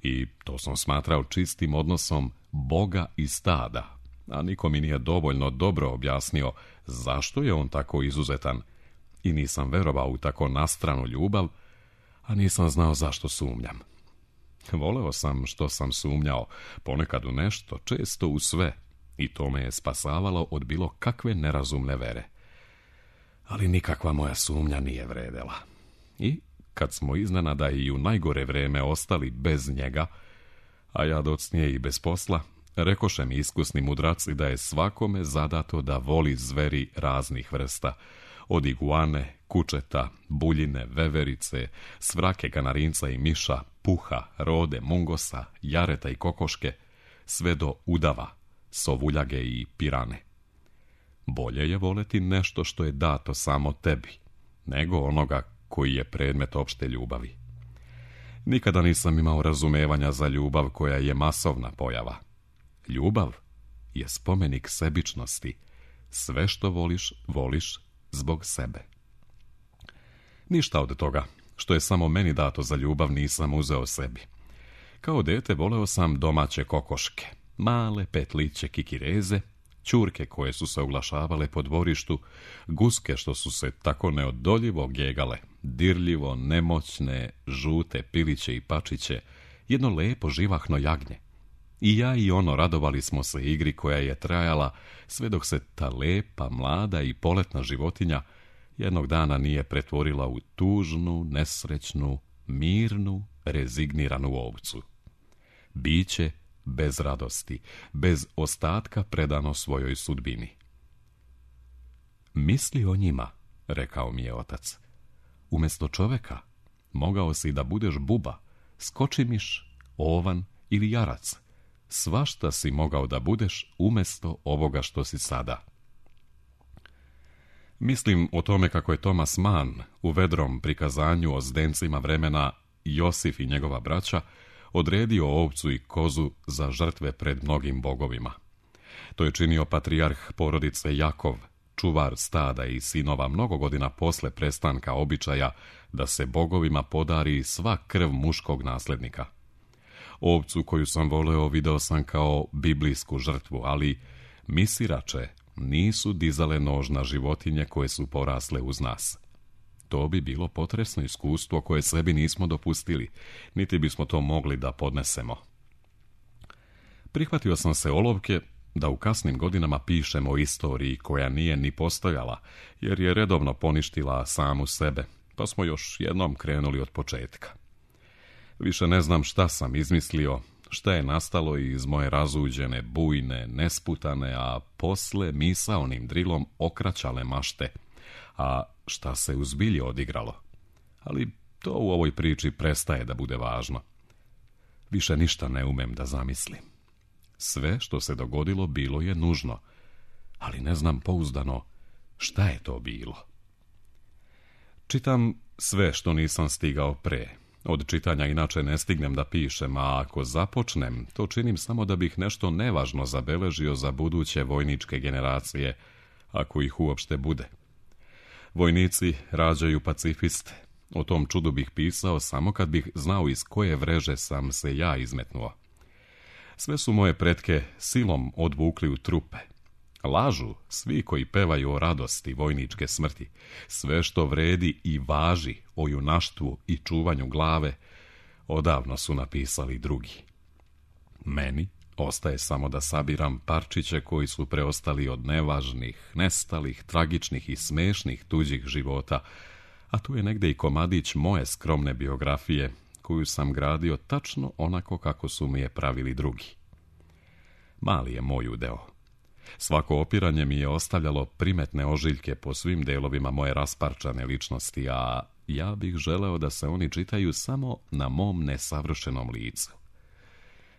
i to sam smatrao čistim odnosom Boga i stada, a niko mi nije dovoljno dobro objasnio zašto je on tako izuzetan i nisam verovao u tako nastranu ljubav, a nisam znao zašto sumnjam. Voleo sam što sam sumnjao, ponekad u nešto, često u sve, i to me je spasavalo od bilo kakve nerazumne vere. Ali nikakva moja sumnja nije vredela. I kad smo iznenada i u najgore vreme ostali bez njega, a ja docnije i bez posla, rekoše mi iskusni mudraci da je svakome zadato da voli zveri raznih vrsta, od iguane, kučeta, buljine, veverice, svrake, kanarinca i miša, puha, rode, mungosa, jareta i kokoške, sve do udava, sovuljage i pirane. Bolje je voleti nešto što je dato samo tebi, nego onoga koji je predmet opšte ljubavi. Nikada nisam imao razumevanja za ljubav koja je masovna pojava. Ljubav je spomenik sebičnosti. Sve što voliš, voliš zbog sebe. Ništa od toga, što je samo meni dato za ljubav, nisam uzeo sebi. Kao dete voleo sam domaće kokoške, male petliće kikireze, ćurke koje su se oglašavale po dvorištu, guske što su se tako neodoljivo gegale, dirljivo, nemoćne, žute piliće i pačiće, jedno lepo živahno jagnje. I ja i ono radovali smo se igri koja je trajala sve dok se ta lepa, mlada i poletna životinja jednog dana nije pretvorila u tužnu, nesrećnu, mirnu, rezigniranu ovcu. Biće bez radosti, bez ostatka predano svojoj sudbini. Misli o njima, rekao mi je otac. Umjesto čoveka mogao si da budeš buba, skočimiš, ovan ili jarac. Svašta si mogao da budeš umjesto ovoga što si sada. Mislim o tome kako je Thomas Mann u vedrom prikazanju o zdencima vremena Josif i njegova braća odredio ovcu i kozu za žrtve pred mnogim bogovima. To je činio patrijarh porodice Jakov, čuvar stada i sinova mnogo godina posle prestanka običaja da se bogovima podari sva krv muškog naslednika. Ovcu koju sam voleo video sam kao biblijsku žrtvu, ali misirače nisu dizale nož na životinje koje su porasle uz nas. To bi bilo potresno iskustvo koje sebi nismo dopustili, niti bismo to mogli da podnesemo. Prihvatio sam se olovke da u kasnim godinama pišem o istoriji koja nije ni postojala, jer je redovno poništila samu sebe, pa smo još jednom krenuli od početka. Više ne znam šta sam izmislio, šta je nastalo iz moje razuđene, bujne, nesputane, a posle misaonim drilom okraćale mašte, a šta se u zbilji odigralo. Ali To u ovoj priči prestaje da bude važno. Više ništa ne umem da zamislim. Sve što se dogodilo bilo je nužno, ali ne znam pouzdano šta je to bilo. Čitam sve što nisam stigao pre. Od čitanja inače ne stignem da pišem, a ako započnem, to činim samo da bih nešto nevažno zabeležio za buduće vojničke generacije, ako ih uopšte bude. Vojnici rađaju pacifiste. O tom čudu bih pisao samo kad bih znao iz koje vreže sam se ja izmetnuo. Sve su moje pretke silom odvukli u trupe. Lažu svi koji pevaju o radosti vojničke smrti. Sve što vredi i važi o junaštvu i čuvanju glave, odavno su napisali drugi. Meni ostaje samo da sabiram parčiće koji su preostali od nevažnih, nestalih, tragičnih i smešnih tuđih života, a tu je negde i komadić moje skromne biografije, koju sam gradio tačno onako kako su mi je pravili drugi. Mali je moj udeo. Svako opiranje mi je ostavljalo primetne ožiljke po svim delovima moje rasparčane ličnosti, a ja bih želeo da se oni čitaju samo na mom nesavršenom licu.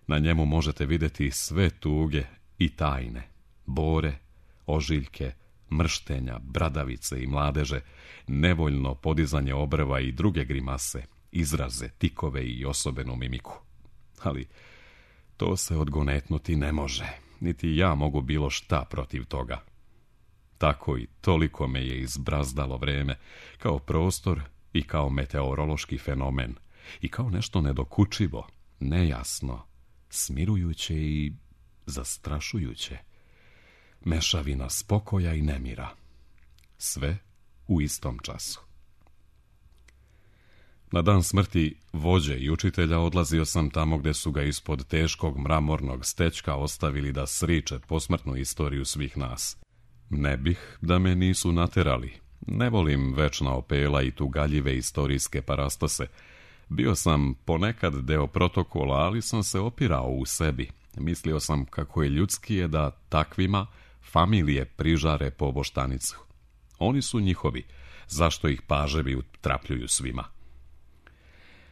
Na njemu možete vidjeti sve tuge i tajne, bore, ožiljke, mrštenja, bradavice i mladeže, nevoljno podizanje obrva i druge grimase, izraze, tikove i osobenu mimiku. Ali to se odgonetnuti ne može, niti ja mogu bilo šta protiv toga. Tako i toliko me je izbrazdalo vreme, kao prostor i kao meteorološki fenomen, i kao nešto nedokučivo, nejasno, smirujuće i zastrašujuće. Mešavina spokoja i nemira. Sve u istom času. Na dan smrti vođe i učitelja odlazio sam tamo gde su ga ispod teškog mramornog stečka ostavili da sriče posmrtnu istoriju svih nas. Ne bih da me nisu naterali. Ne volim večna opela i tugaljive istorijske parastose. Bio sam ponekad deo protokola, ali sam se opirao u sebi. Mislio sam kako je ljudski da takvima familije prižare po boštanicu. Oni su njihovi, zašto ih paževi utrapljuju svima?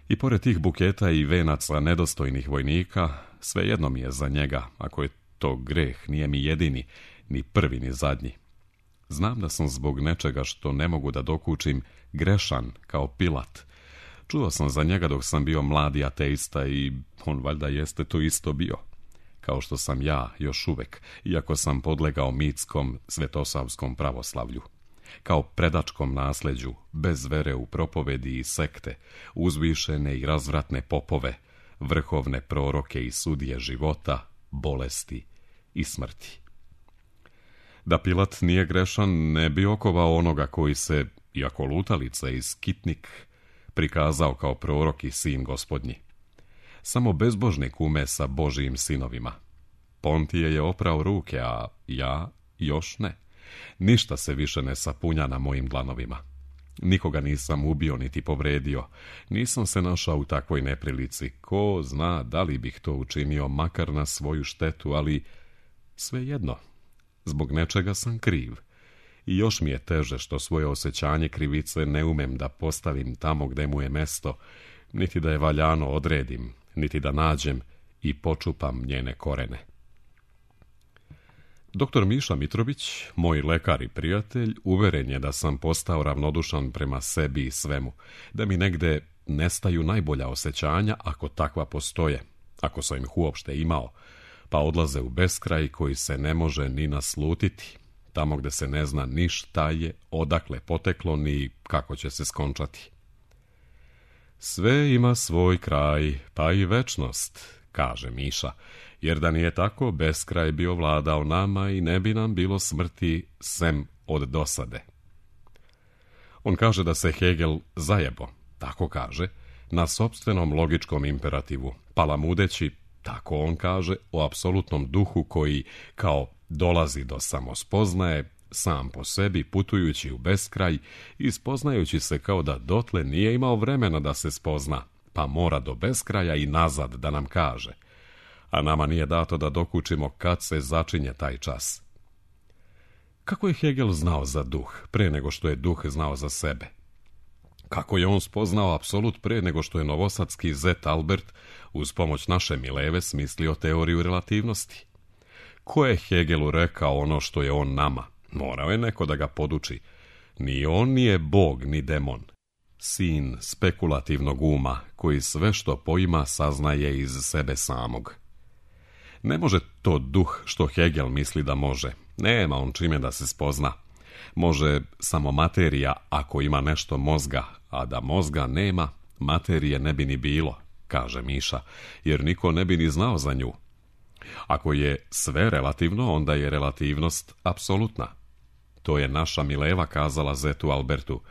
I pored tih buketa i venaca nedostojnih vojnika, svejedno mi je za njega, ako je to greh, nije mi jedini, ni prvi ni zadnji. Znam da sam zbog nečega što ne mogu da dokučim grešan kao Pilat. Čuo sam za njega dok sam bio mladi ateista i on valjda jeste to isto bio. Kao što sam ja još uvek, iako sam podlegao mitskom svetosavskom pravoslavlju. Kao predačkom nasleđu, bez vere u propovedi i sekte, uzvišene i razvratne popove, vrhovne proroke i sudije života, bolesti i smrti. Da Pilat nije grešan, ne bi okovao onoga koji se, iako lutalica i skitnik, prikazao kao prorok i sin gospodnji. Samo bezbožnik ume sa Božijim sinovima. Pontije je oprao ruke, a ja još ne. Ništa se više ne sapunja na mojim dlanovima. Nikoga nisam ubio niti povredio. Nisam se našao u takvoj neprilici. Ko zna da li bih to učinio makar na svoju štetu, ali svejedno. Zbog nečega sam kriv. I još mi je teže što svoje osjećanje krivice ne umem da postavim tamo gde mu je mesto, niti da je valjano odredim, niti da nađem i počupam njene korene. Doktor Miša Mitrović, moj lekar i prijatelj, uveren je da sam postao ravnodušan prema sebi i svemu, da mi negde nestaju najbolja osjećanja ako takva postoje, ako sam ih uopšte imao, pa odlaze u beskraj koji se ne može ni naslutiti, tamo gde se ne zna ni šta je, odakle poteklo, ni kako će se skončati. Sve ima svoj kraj, pa i večnost, kaže Miša, jer da nije tako, beskraj bi ovladao nama i ne bi nam bilo smrti sem od dosade. On kaže da se Hegel zajebo, tako kaže, na sopstvenom logičkom imperativu, palamudeći, tako on kaže, o apsolutnom duhu koji, kao dolazi do samospoznaje, sam po sebi putujući u beskraj i spoznajući se kao da dotle nije imao vremena da se spozna, pa mora do beskraja i nazad da nam kaže. A nama nije dato da dokučimo kad se začinje taj čas. Kako je Hegel znao za duh, pre nego što je duh znao za sebe? Kako je on spoznao apsolut pre nego što je novosadski zet Albert uz pomoć naše Mileve smislio teoriju relativnosti? Ko je Hegelu rekao ono što je on nama? Morao je neko da ga poduči. Ni on nije bog, ni demon. Sin spekulativnog uma, koji sve što poima saznaje iz sebe samog. Ne može to duh što Hegel misli da može. Nema on čime da se spozna. Može samo materija ako ima nešto mozga, a da mozga nema, materije ne bi ni bilo, kaže Miša, jer niko ne bi ni znao za nju. Ako je sve relativno, onda je relativnost apsolutna. To je naša Mileva kazala zetu Albertu.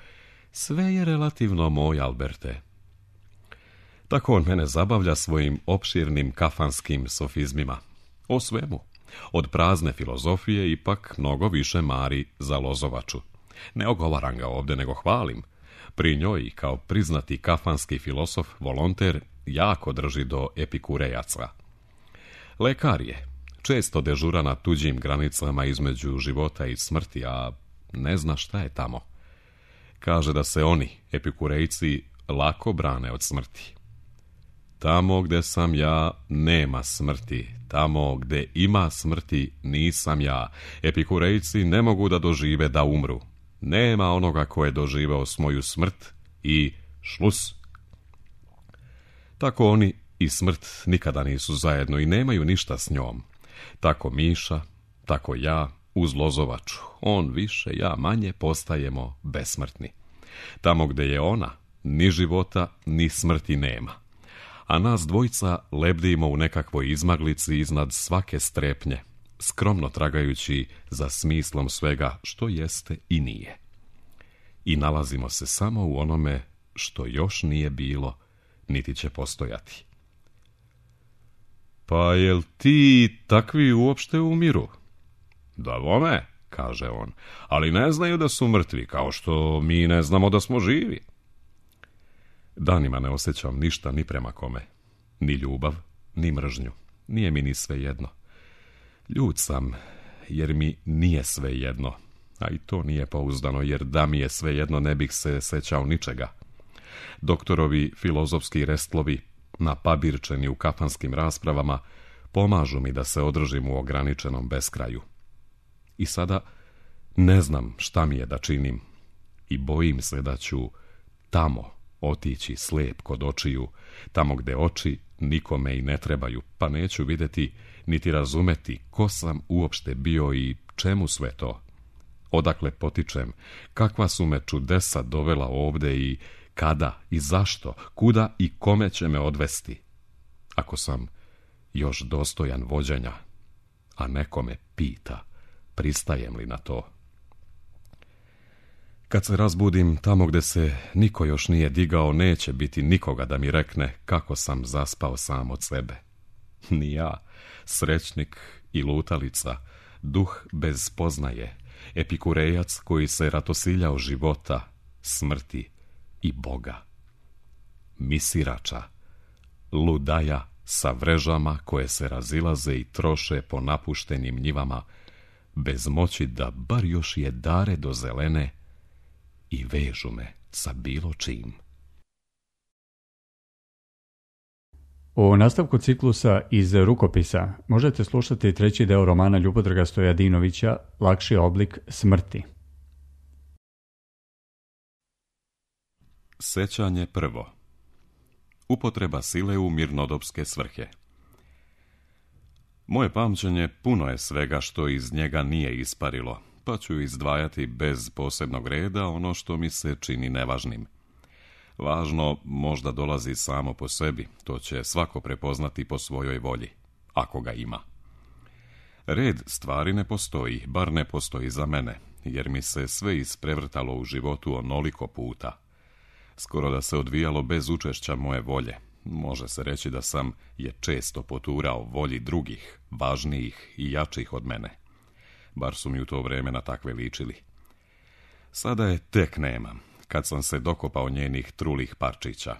Sve je relativno, moj Alberte. Tako on mene zabavlja svojim opširnim kafanskim sofizmima. O svemu. Od prazne filozofije ipak mnogo više mari za Lozovaču. Ne ogovaram ga ovdje, nego hvalim. Pri njoj, kao priznati kafanski filosof, volonter, jako drži do epikurejaca. Lekar je, često dežura na tuđim granicama između života i smrti, a ne zna šta je tamo. Kaže da se oni, epikurejci, lako brane od smrti. Tamo gde sam ja, nema smrti. Tamo gde ima smrti, nisam ja. Epikurejci ne mogu da dožive da umru. Nema onoga ko je doživeo svoju smrt i šlus. Tako oni i smrt nikada nisu zajedno i nemaju ništa s njom. Tako Miša, tako ja, uz Lozovaču. On više, ja manje, postajemo besmrtni. Tamo gde je ona, ni života, ni smrti nema. A nas dvojica lebdimo u nekakvoj izmaglici iznad svake strepnje, skromno tragajući za smislom svega što jeste i nije. I nalazimo se samo u onome što još nije bilo, niti će postojati. Pa jel ti takvi uopšte umiru? Da vome, kaže on, ali ne znaju da su mrtvi, kao što mi ne znamo da smo živi. Danima ne osjećam ništa ni prema kome. Ni ljubav, ni mržnju. Nije mi ni sve jedno. Ljut sam, jer mi nije sve jedno. A i to nije pouzdano, jer da mi je sve jedno ne bih se sećao ničega. Doktorovi filozofski restlovi, napabirčeni u kafanskim raspravama, pomažu mi da se održim u ograničenom beskraju. I sada ne znam šta mi je da činim. I bojim se da ću tamo otići slijep kod očiju, tamo gde oči nikome i ne trebaju, pa neću vidjeti niti razumeti ko sam uopšte bio i čemu sve to. Odakle potičem, kakva su me čudesa dovela ovde i kada i zašto, kuda i kome će me odvesti. Ako sam još dostojan vođenja, a neko me pita, pristajem li na to? Kad se razbudim tamo gde se niko još nije digao, neće biti nikoga da mi rekne kako sam zaspao sam od sebe. Ni ja, srećnik i lutalica, duh bez spoznaje, epikurejac koji se ratosiljao života, smrti i Boga. Misirača, ludaja sa vrežama koje se razilaze i troše po napuštenim njivama, bez moći da bar još jedare do zelene i vežu me sa bilo čim. U nastavku ciklusa iz rukopisa možete slušati treći deo romana Ljubodraga Stojadinovića Lakši oblik smrti. Sećanje prvo. Upotreba sile u mirnodopske svrhe. Moje pamćenje puno je svega što iz njega nije isparilo, pa ću izdvajati bez posebnog reda ono što mi se čini nevažnim. Važno možda dolazi samo po sebi, to će svako prepoznati po svojoj volji, ako ga ima. Red stvari ne postoji, bar ne postoji za mene, jer mi se sve isprevrtalo u životu onoliko puta. Skoro da se odvijalo bez učešća moje volje. Može se reći da sam je često poturao volji drugih, važnijih i jačih od mene. Bar su mi u to vreme na takve ličili. Sada je tek nemam, kad sam se dokopao njenih trulih parčića.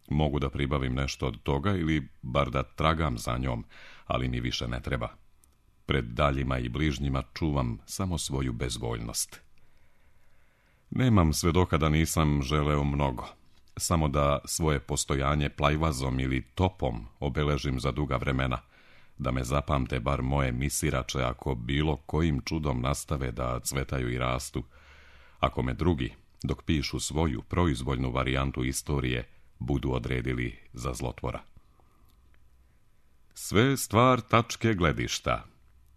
Mogu da pribavim nešto od toga ili bar da tragam za njom, ali mi više ne treba. Pred daljima i bližnjima čuvam samo svoju bezvoljnost. Nemam sve dokada nisam želeo mnogo, samo da svoje postojanje plajvazom ili topom obeležim za duga vremena, da me zapamte bar moje misirače ako bilo kojim čudom nastave da cvetaju i rastu, ako me drugi, dok pišu svoju proizvoljnu varijantu istorije, budu odredili za zlotvora. Sve stvar tačke gledišta.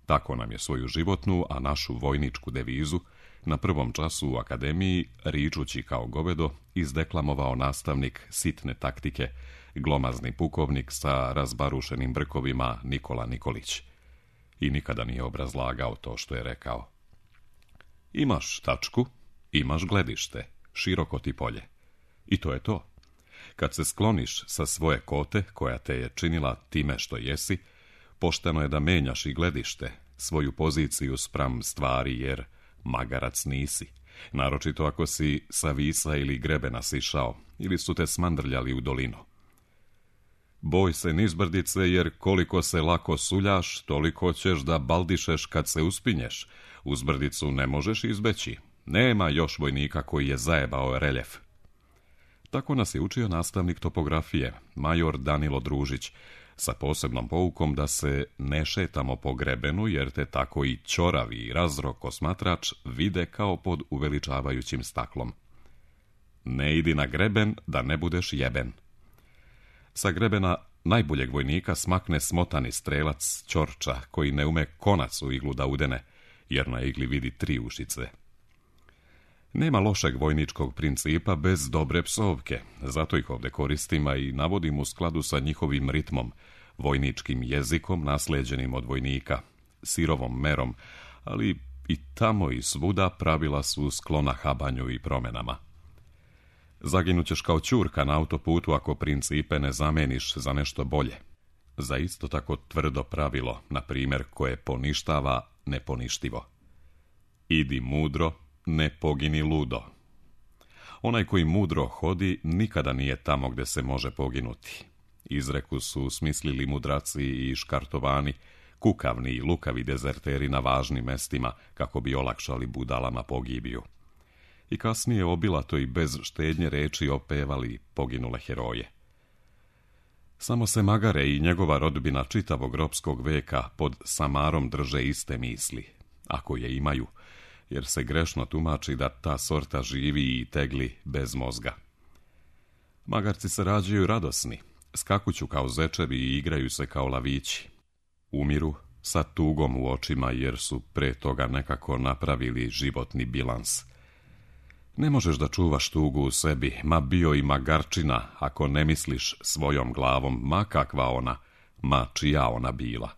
Tako nam je svoju životnu, a našu vojničku devizu na prvom času u akademiji, ričući kao govedo, izdeklamovao nastavnik sitne taktike, glomazni pukovnik sa razbarušenim brkovima Nikola Nikolić. I nikada nije obrazlagao to što je rekao. Imaš tačku, imaš gledište, široko ti polje. I to je to. Kad se skloniš sa svoje kote, koja te je činila time što jesi, pošteno je da menjaš i gledište, svoju poziciju spram stvari, jer magarac nisi, naročito ako si sa visa ili grebena sišao, ili su te smandrljali u dolinu. Boj se nizbrdice, jer koliko se lako suljaš, toliko ćeš da baldišeš kad se uspinješ. Uzbrdicu ne možeš izbeći. Nema još vojnika koji je zajebao reljef. Tako nas je učio nastavnik topografije, major Danilo Družić, sa posebnom poukom da se ne šetamo po grebenu, jer te tako i ćoravi i razrok osmatrač vide kao pod uveličavajućim staklom. Ne idi na greben da ne budeš jeben. Sa grebena najboljeg vojnika smakne smotani strelac ćorča, koji ne ume konac u iglu da udene, jer na igli vidi 3 ušice. Nema lošeg vojničkog principa bez dobre psovke, zato ih ovdje koristim, a i navodim u skladu sa njihovim ritmom, vojničkim jezikom naslijeđenim od vojnika, sirovom merom, ali i tamo i svuda pravila su sklona habanju i promjenama. Zaginućeš kao ćurka na autoputu ako principe ne zameniš za nešto bolje. Za isto tako tvrdo pravilo, na primjer, koje poništava neponištivo. Idi mudro, ne pogini ludo. Onaj koji mudro hodi nikada nije tamo gdje se može poginuti. Izreku su smislili mudraci i škartovani, kukavni i lukavi dezerteri na važnim mestima kako bi olakšali budalama pogibiju. I kasnije obilato i bez štednje reči opevali poginule heroje. Samo se Magare i njegova rodbina čitavog ropskog veka pod samarom drže iste misli, ako je imaju, jer se grešno tumači da ta sorta živi i tegli bez mozga. Magarci se rađaju radosni, skakuću kao zečevi i igraju se kao lavići. Umiru sa tugom u očima jer su pre toga nekako napravili životni bilans. Ne možeš da čuvaš tugu u sebi, ma bio i magarčina, ako ne misliš svojom glavom, ma kakva ona, ma čija ona bila.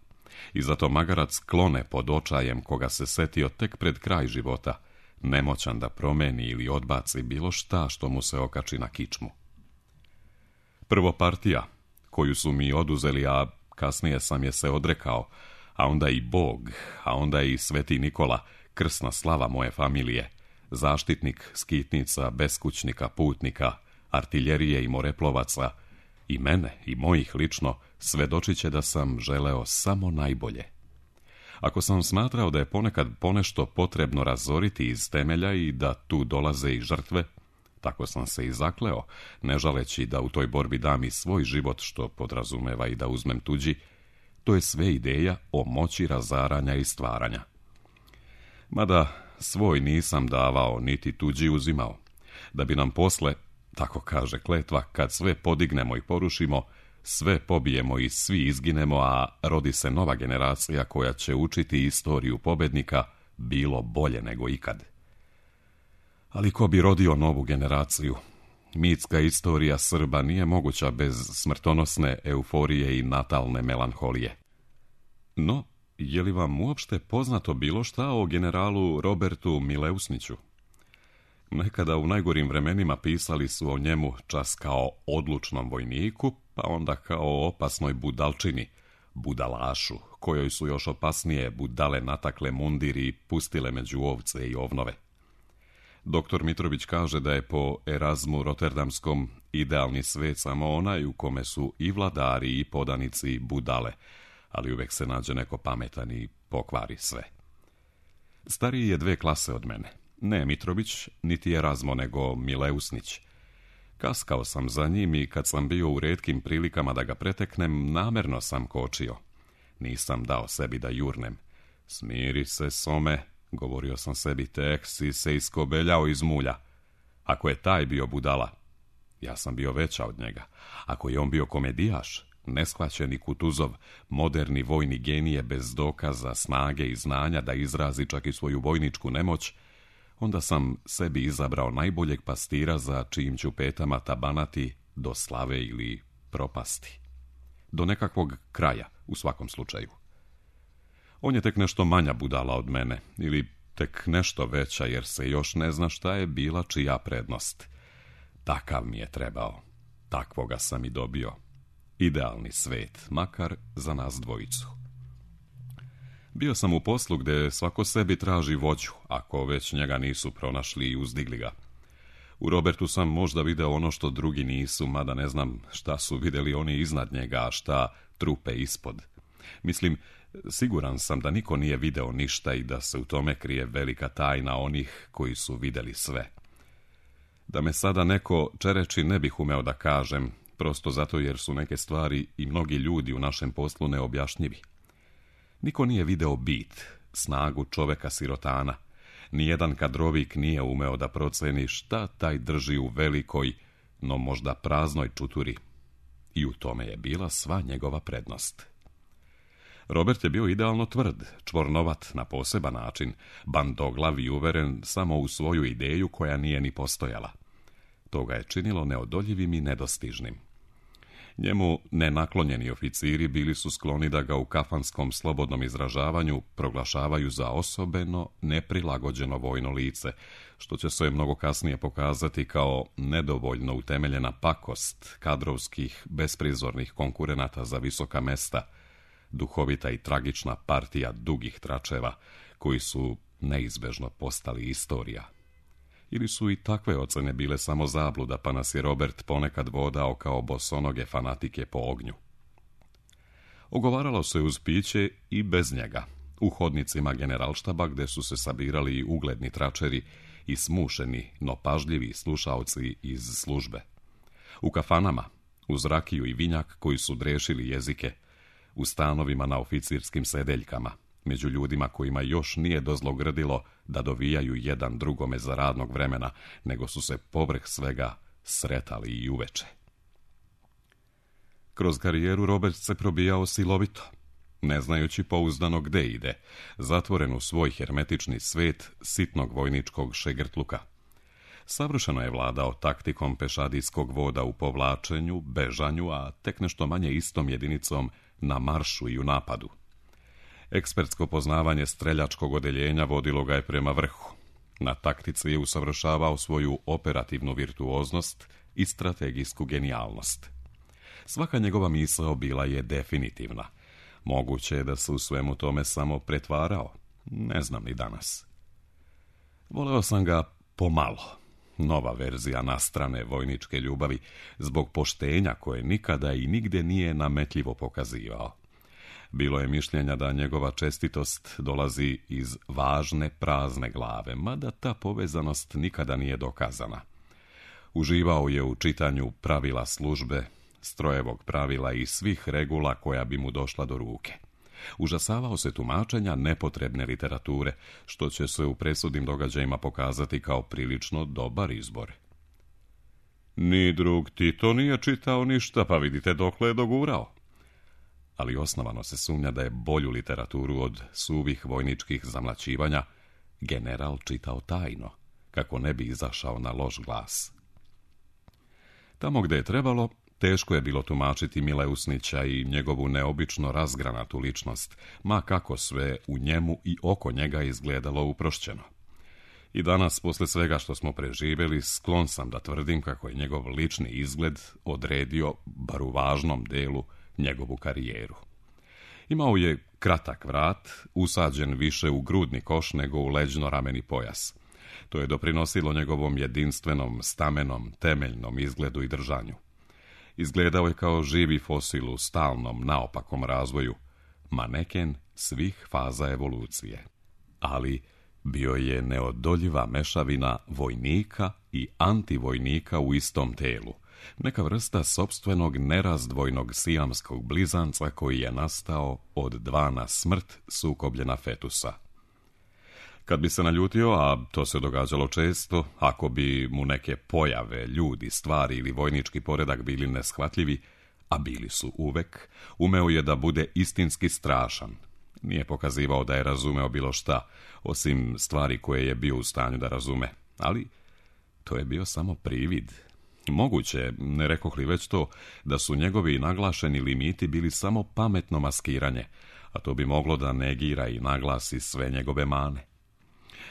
I zato magarac klone pod očajem koga se setio tek pred kraj života, nemoćan da promeni ili odbaci bilo šta što mu se okači na kičmu. Prvo partija, koju su mi oduzeli, a kasnije sam je se odrekao, a onda i Bog, a onda i Sveti Nikola, krsna slava moje familije, zaštitnik skitnica, beskućnika, putnika, artiljerije i moreplovaca, i mene i mojih lično, svedočit će da sam želeo samo najbolje. Ako sam smatrao da je ponekad ponešto potrebno razoriti iz temelja i da tu dolaze i žrtve, tako sam se i zakleo, ne žaleći da u toj borbi dam i svoj život, što podrazumeva i da uzmem tuđi, to je sve ideja o moći razaranja i stvaranja. Mada svoj nisam davao, niti tuđi uzimao, da bi nam posle, tako kaže kletva, kad sve podignemo i porušimo, sve pobijemo i svi izginemo, a rodi se nova generacija koja će učiti istoriju pobednika, bilo bolje nego ikad. Ali ko bi rodio novu generaciju? Mitska istorija Srba nije moguća bez smrtonosne euforije i natalne melanholije. No, je li vam uopšte poznato bilo šta o generalu Robertu Mileusniću? Nekada u najgorim vremenima pisali su o njemu čas kao odlučnom vojniku, pa onda kao opasnoj budalčini, budalašu, kojoj su još opasnije budale natakle mundir i pustile među ovce i ovnove. Doktor Mitrović kaže da je po Erazmu Rotterdamskom idealni svet samo onaj u kome su i vladari i podanici budale, ali uvek se nađe neko pametan i pokvari sve. Stariji je 2 klase od mene. Ne Mitrović, niti Erazmo, nego Mileusnić. Kaskao sam za njim i kad sam bio u retkim prilikama da ga preteknem, namerno sam kočio. Nisam dao sebi da jurnem. Smiri se, Some, govorio sam sebi, tek si se iskobeljao iz mulja. Ako je taj bio budala, ja sam bio veća od njega. Ako je on bio komedijaš, neshvaćeni Kutuzov, moderni vojni genije bez dokaza, snage i znanja da izrazi čak i svoju vojničku nemoć, onda sam sebi izabrao najboljeg pastira za čijim ću petama tabanati do slave ili propasti. Do nekakvog kraja, u svakom slučaju. On je tek nešto manja budala od mene, ili tek nešto veća, jer se još ne zna šta je bila čija prednost. Takav mi je trebao. Takvoga sam i dobio. Idealni svet, makar za nas dvojicu. Bio sam u poslu gdje svako sebi traži vođu, ako već njega nisu pronašli i uzdigli ga. U Robertu sam možda video ono što drugi nisu, mada ne znam šta su vidjeli oni iznad njega, a šta trupe ispod. Mislim, siguran sam da niko nije video ništa i da se u tome krije velika tajna onih koji su vidjeli sve. Da me sada neko čereči ne bih umeo da kažem, prosto zato jer su neke stvari i mnogi ljudi u našem poslu neobjašnjivi. Niko nije video bit, snagu čoveka sirotana. Nijedan kadrovik nije umeo da proceni šta taj drži u velikoj, no možda praznoj čuturi. I u tome je bila sva njegova prednost. Robert je bio idealno tvrd, čvornovat na poseban način, bandoglav i uveren samo u svoju ideju koja nije ni postojala. To ga je činilo neodoljivim i nedostižnim. Njemu nenaklonjeni oficiri bili su skloni da ga u kafanskom slobodnom izražavanju proglašavaju za osobeno neprilagođeno vojno lice, što će se mnogo kasnije pokazati kao nedovoljno utemeljena pakost kadrovskih besprizornih konkurenata za visoka mesta, duhovita i tragična partija dugih tračeva, koji su neizbežno postali istorija. Ili su i takve ocene bile samo zabluda, pa nas je Robert ponekad vodao kao bosonoge fanatike po ognju. Ogovaralo se uz piće i bez njega, u hodnicima generalštaba gdje su se sabirali ugledni tračeri i smušeni, no pažljivi slušaoci iz službe. U kafanama, uz rakiju i vinjak koji su drešili jezike, u stanovima na oficirskim sedeljkama, među ljudima kojima još nije dozlogrdilo da dovijaju jedan drugome za radnog vremena, nego su se povrh svega sretali i uveče. Kroz karijeru Robert se probijao silovito, ne znajući pouzdano gde ide, zatvoren u svoj hermetični svet sitnog vojničkog šegrtluka. Savršeno je vladao taktikom pešadijskog voda u povlačenju, bežanju, a tek nešto manje istom jedinicom na maršu i u napadu. Ekspertsko poznavanje streljačkog odeljenja vodilo ga je prema vrhu. Na taktici je usavršavao svoju operativnu virtuoznost i strategijsku genijalnost. Svaka njegova misao bila je definitivna. Moguće je da se u svemu tome samo pretvarao. Ne znam ni danas. Voleo sam ga pomalo. Nova verzija nastrane vojničke ljubavi, zbog poštenja koje nikada i nigde nije nametljivo pokazivao. Bilo je mišljenja da njegova čestitost dolazi iz važne prazne glave, mada ta povezanost nikada nije dokazana. Uživao je u čitanju pravila službe, strojevog pravila i svih regula koja bi mu došla do ruke. Užasavao se tumačenja nepotrebne literature, što će se u presudnim događajima pokazati kao prilično dobar izbor. Ni drug Tito nije čitao ništa, pa vidite dokle je dogurao. Ali osnovano se sumnja da je bolju literaturu od suvih vojničkih zamlaćivanja general čitao tajno, kako ne bi izašao na loš glas. Tamo gde je trebalo, teško je bilo tumačiti Mileusnića i njegovu neobično razgranatu ličnost, ma kako sve u njemu i oko njega izgledalo uprošćeno. I danas, posle svega što smo preživjeli, sklon sam da tvrdim kako je njegov lični izgled odredio, bar u važnom delu, njegovu karijeru. Imao je kratak vrat, usađen više u grudni koš nego u leđno-rameni pojas. To je doprinosilo njegovom jedinstvenom, stamenom, temeljnom izgledu i držanju. Izgledao je kao živi fosil u stalnom, naopakom razvoju, maneken svih faza evolucije. Ali bio je neodoljiva mešavina vojnika i antivojnika u istom telu, neka vrsta sopstvenog nerazdvojnog sijamskog blizanca koji je nastao od dva na smrt sukobljena fetusa. Kad bi se naljutio, a to se događalo često, ako bi mu neke pojave, ljudi, stvari ili vojnički poredak bili neshvatljivi, a bili su uvek, umeo je da bude istinski strašan. Nije pokazivao da je razumeo bilo šta, osim stvari koje je bio u stanju da razume, ali to je bio samo privid. Moguće, ne rekoh li već to, da su njegovi naglašeni limiti bili samo pametno maskiranje, a to bi moglo da negira i naglasi sve njegove mane.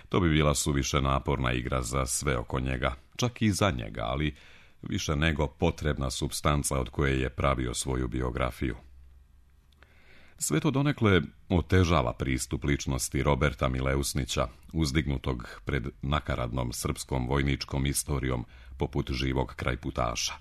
To bi bila suviše naporna igra za sve oko njega, čak i za njega, ali više nego potrebna supstanca od koje je pravio svoju biografiju. Sve to donekle otežava pristup ličnosti Roberta Mileusnića, uzdignutog pred nakaradnom srpskom vojničkom istorijom poput živog krajputaša.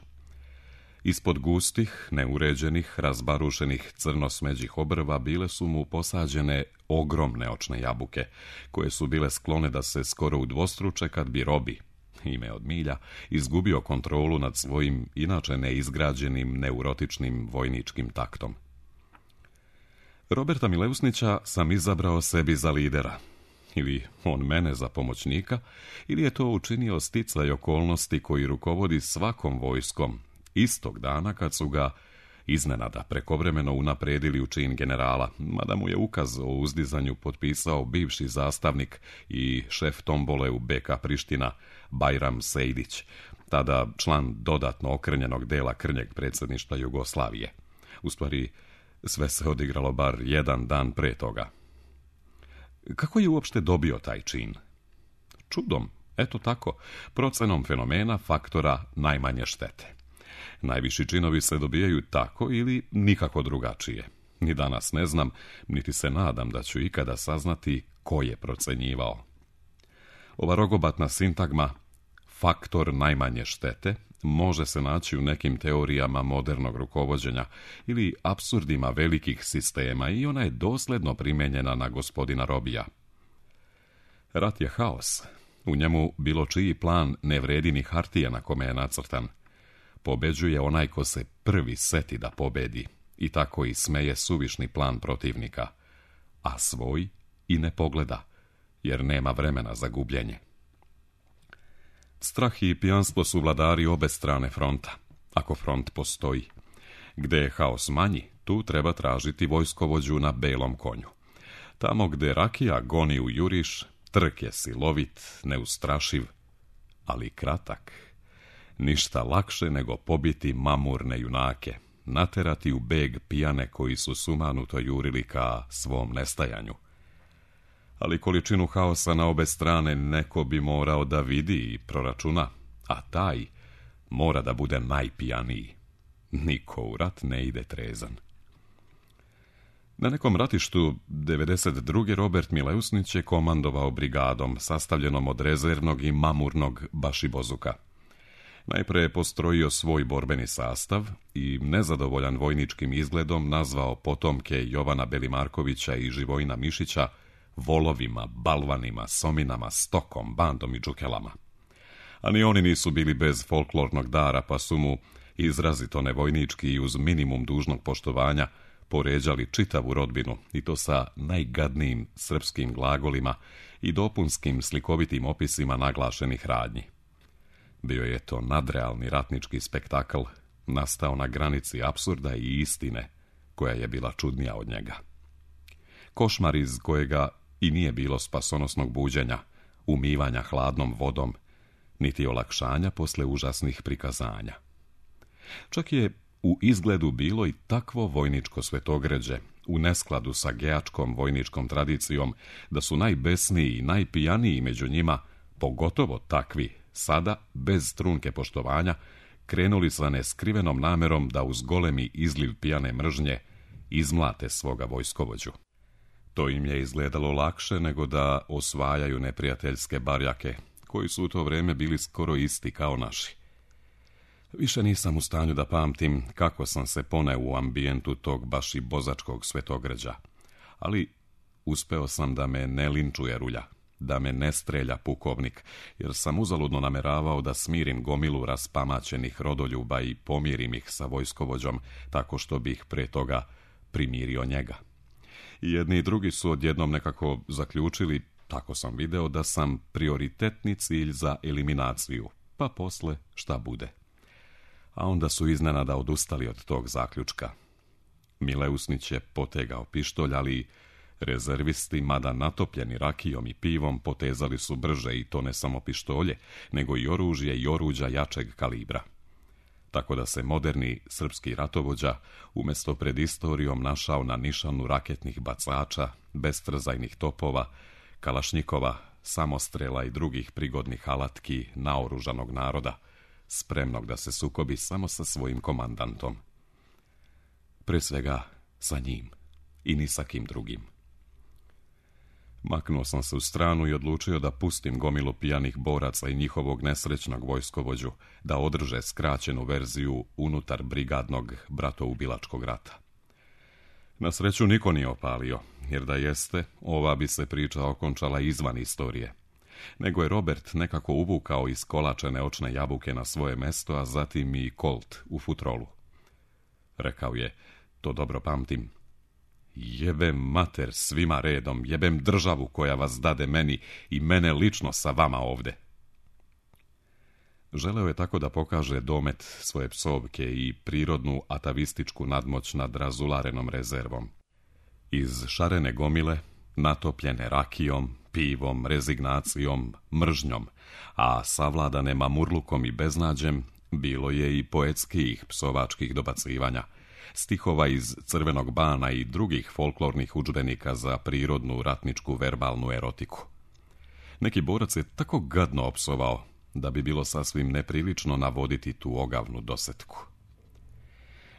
Ispod gustih, neuređenih, razbarušenih crno-smeđih obrva bile su mu posađene ogromne očne jabuke, koje su bile sklone da se skoro udvostruče kad bi Robi, ime od milja, izgubio kontrolu nad svojim inače neizgrađenim neurotičnim vojničkim taktom. Roberta Mileusnića sam izabrao sebi za lidera, ili on mene za pomoćnika, ili je to učinio sticaj okolnosti koji rukovodi svakom vojskom, istog dana kad su ga iznenada prekovremeno unapredili u čin generala, mada mu je ukaz o uzdizanju potpisao bivši zastavnik i šef tombole u BK Priština, Bajram Sejdić, tada član dodatno okrnjenog dela krnjeg predsjedništva Jugoslavije. U stvari, sve se odigralo bar jedan dan pre toga. Kako je uopšte dobio taj čin? Čudom, eto tako, procenom fenomena faktora najmanje štete. Najviši činovi se dobijaju tako ili nikako drugačije. Ni danas ne znam, niti se nadam da ću ikada saznati ko je procenjivao. Ova rogobatna sintagma, faktor najmanje štete, može se naći u nekim teorijama modernog rukovođenja ili apsurdima velikih sistema i ona je dosledno primenjena na gospodina Robija. Rat je haos. U njemu bilo čiji plan ne vredi ni hartije na kome je nacrtan. Pobeđuje onaj ko se prvi seti da pobedi i tako i smeje suvišni plan protivnika, a svoj i ne pogleda, jer nema vremena za gubljenje. Strah i pijanstvo su vladari obe strane fronta, ako front postoji. Gde je haos manji, tu treba tražiti vojskovođu na belom konju. Tamo gde rakija goni u juriš, trk je silovit, neustrašiv, ali kratak. Ništa lakše nego pobiti mamurne junake, naterati u beg pijane koji su sumanuto jurili ka svom nestajanju. Ali količinu haosa na obe strane neko bi morao da vidi i proračuna, a taj mora da bude najpijaniji. Niko u rat ne ide trezan. Na nekom ratištu 92. Robert Mileusnić je komandovao brigadom sastavljenom od rezervnog i mamurnog bašibozuka. Najpre je postrojio svoj borbeni sastav i nezadovoljan vojničkim izgledom nazvao potomke Jovana Belimarkovića i Živojina Mišića volovima, balvanima, sominama, stokom, bandom i džukelama. A ni oni nisu bili bez folklornog dara, pa su mu izrazito nevojnički i uz minimum dužnog poštovanja poređali čitavu rodbinu, i to sa najgadnijim srpskim glagolima i dopunskim slikovitim opisima naglašenih radnji. Bio je to nadrealni ratnički spektakl, nastao na granici apsurda i istine, koja je bila čudnija od njega. Košmar iz kojega i nije bilo spasonosnog buđenja, umivanja hladnom vodom, niti olakšanja posle užasnih prikazanja. Čak je u izgledu bilo i takvo vojničko svetogređe, u neskladu sa geačkom vojničkom tradicijom, da su najbesniji i najpijaniji među njima, pogotovo takvi, sada, bez trunke poštovanja, krenuli sa neskrivenom namerom da uz golemi izliv pijane mržnje izmlate svoga vojskovođu. To im je izgledalo lakše nego da osvajaju neprijateljske barjake, koji su u to vreme bili skoro isti kao naši. Više nisam u stanju da pamtim kako sam se poneo u ambijentu tog baš i bozačkog svetogređa, ali uspeo sam da me ne linčuje rulja, da me ne strelja pukovnik, jer sam uzaludno nameravao da smirim gomilu raspamaćenih rodoljuba i pomirim ih sa vojskovođom, tako što bih pre toga primirio njega. I jedni i drugi su odjednom nekako zaključili, tako sam video, da sam prioritetni cilj za eliminaciju, pa posle šta bude. A onda su iznenada odustali od tog zaključka. Mileusnić je potegao pištolj, ali rezervisti, mada natopljeni rakijom i pivom, potezali su brže, i to ne samo pištolje, nego i oružje i oruđa jačeg kalibra. Tako da se moderni srpski ratovođa umjesto pred istorijom našao na nišanu raketnih bacača, bestrzajnih topova, kalašnjikova, samostrela i drugih prigodnih alatki naoružanog naroda, spremnog da se sukobi samo sa svojim komandantom. Pre svega sa njim i ni sa kim drugim. Maknuo sam se u stranu i odlučio da pustim gomilu pijanih boraca i njihovog nesrećnog vojskovođu da održe skraćenu verziju unutar brigadnog bratoubilačkog rata. Na sreću niko nije opalio, jer da jeste, ova bi se priča okončala izvan istorije. Nego je Robert nekako uvukao iskolačene očne jabuke na svoje mesto, a zatim i kolt u futrolu. Rekao je, to dobro pamtim: jebem mater svima redom, jebem državu koja vas dade meni i mene lično sa vama ovde. Želeo je tako da pokaže domet svoje psovke i prirodnu atavističku nadmoć nad razularenom rezervom. Iz šarene gomile, natopljene rakijom, pivom, rezignacijom, mržnjom, a savladane mamurlukom i beznađem, bilo je i poetskih psovačkih dobacivanja, stihova iz Crvenog bana i drugih folklornih udžbenika za prirodnu ratničku verbalnu erotiku. Neki borac je tako gadno opsovao da bi bilo sasvim neprilično navoditi tu ogavnu dosetku.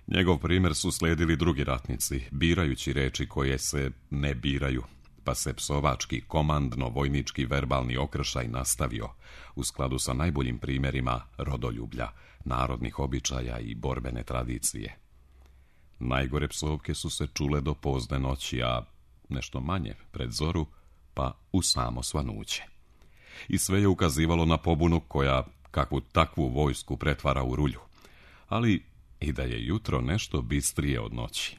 Njegov primjer su slijedili drugi ratnici, birajući reči koje se ne biraju, pa se psovački, komandno-vojnički verbalni okršaj nastavio u skladu sa najboljim primjerima rodoljublja, narodnih običaja i borbene tradicije. Najgore psovke su se čule do pozne noći, a nešto manje pred zoru, pa u samo svanuće. I sve je ukazivalo na pobunu koja kakvu takvu vojsku pretvara u rulju, ali i da je jutro nešto bistrije od noći.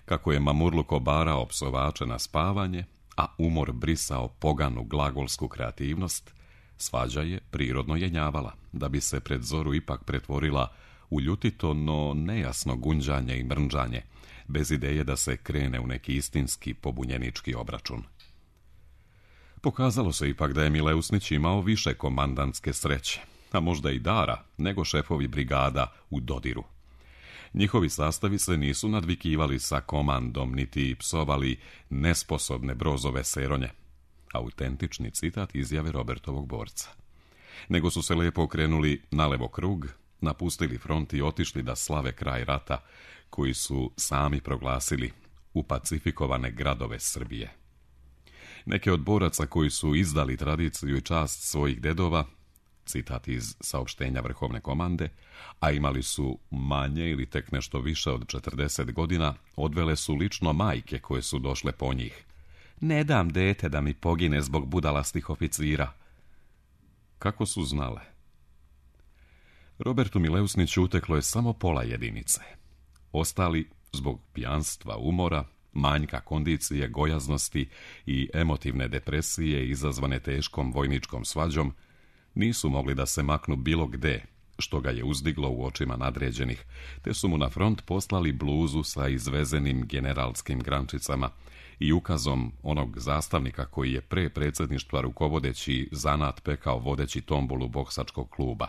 Kako je mamurluk obarao psovače na spavanje, a umor brisao poganu glagolsku kreativnost, svađa je prirodno jenjavala, da bi se pred zoru ipak pretvorila u ljutito, no nejasno gunđanje i mrnđanje, bez ideje da se krene u neki istinski pobunjenički obračun. Pokazalo se ipak da je Mileusnić imao više komandantske sreće, a možda i dara, nego šefovi brigada u dodiru. Njihovi sastavi se nisu nadvikivali sa komandom, niti psovali nesposobne brozove seronje, autentični citat izjave Robertovog borca. Nego su se lijepo okrenuli nalevo krug, napustili front i otišli da slave kraj rata, koji su sami proglasili u pacifikovane gradove Srbije. Neke od boraca koji su izdali tradiciju i čast svojih dedova, citat iz saopštenja Vrhovne komande, a imali su manje ili tek nešto više od 40 godina, odvele su lično majke koje su došle po njih. Ne dam dete da mi pogine zbog budalastih oficira. Kako su znale? Robertu Mileusniću uteklo je samo pola jedinice. Ostali, zbog pijanstva, umora, manjka kondicije, gojaznosti i emotivne depresije izazvane teškom vojničkom svađom, nisu mogli da se maknu bilo gde, što ga je uzdiglo u očima nadređenih, te su mu na front poslali bluzu sa izvezenim generalskim grančicama i ukazom onog zastavnika koji je pre predsjedništva rukovodeći zanat pekao vodeći tombolu boksačkog kluba.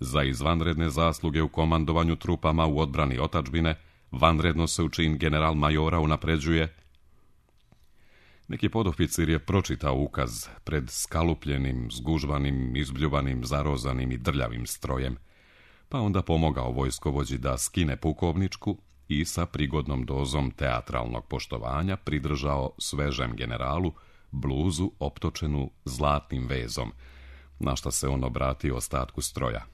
Za izvanredne zasluge u komandovanju trupama u odbrani otadžbine, vanredno se u čin general majora unapređuje. Neki podoficir je pročitao ukaz pred skalupljenim, zgužvanim, izbljuvanim, zarozanim i drljavim strojem, pa onda pomogao vojskovođi da skine pukovničku i sa prigodnom dozom teatralnog poštovanja pridržao svežem generalu bluzu optočenu zlatnim vezom, na šta se on obratio ostatku stroja.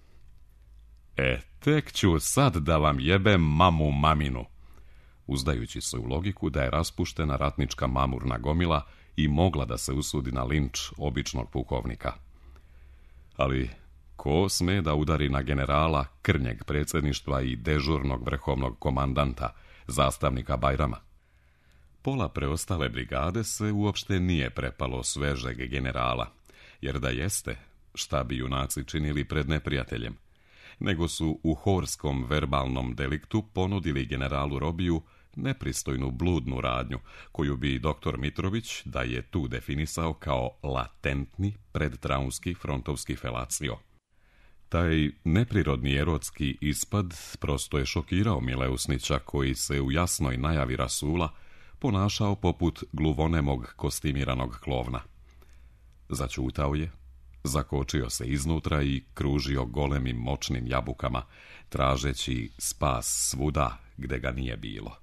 Tek ću sad da vam jebem mamu maminu, uzdajući se u logiku da je raspuštena ratnička mamurna gomila i mogla da se usudi na linč običnog pukovnika. Ali ko sme da udari na generala krnjeg predsjedništva i dežurnog vrhovnog komandanta, zastavnika Bajrama? Pola preostale brigade se uopšte nije prepalo svežeg generala, jer da jeste, šta bi junaci činili pred neprijateljem, nego su u horskom verbalnom deliktu ponudili generalu Robiju nepristojnu bludnu radnju, koju bi dr. Mitrović da je tu definisao kao latentni predtraumski frontovski felacio. Taj neprirodni erotski ispad prosto je šokirao Mileusnića, koji se u jasnoj najavi rasula ponašao poput gluvonemog kostimiranog klovna. Začutao je, zakočio se iznutra i kružio golemim moćnim jabukama, tražeći spas svuda gde ga nije bilo.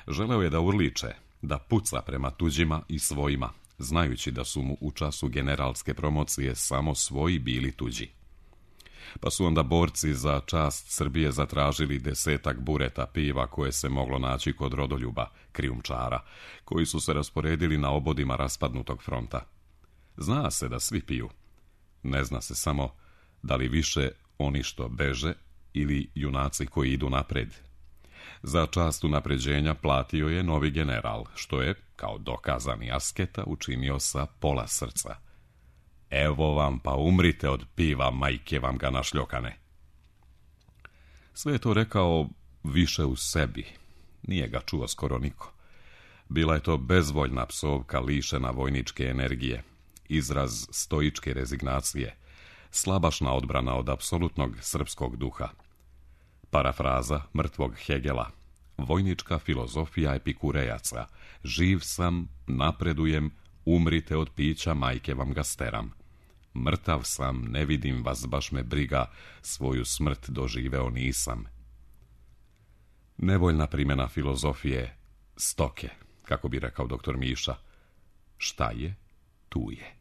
Želeo je da urliče, da puca prema tuđima i svojima, znajući da su mu u času generalske promocije samo svoji bili tuđi. Pa su onda borci za čast Srbije zatražili 10 bureta piva koje se moglo naći kod rodoljuba, krijumčara, koji su se rasporedili na obodima raspadnutog fronta. Zna se da svi piju. Ne zna se samo da li više oni što beže ili junaci koji idu napred. Za čast unapređenja platio je novi general, što je, kao dokazani asketa, učinio sa pola srca. Evo vam, pa umrite od piva, majke vam ga našljokane. Sve je to rekao više u sebi. Nije ga čuo skoro niko. Bila je to bezvoljna psovka lišena vojničke energije, izraz stoičke rezignacije, slabašna odbrana od apsolutnog srpskog duha. Parafraza mrtvog Hegela, vojnička filozofija epikurejaca, živ sam, napredujem, umrite od pića, majke vam ga steram. Mrtav sam, ne vidim vas, baš me briga, svoju smrt doživeo nisam. Nevoljna primjena filozofije stoke, kako bi rekao dr. Miša. Šta je, tu je.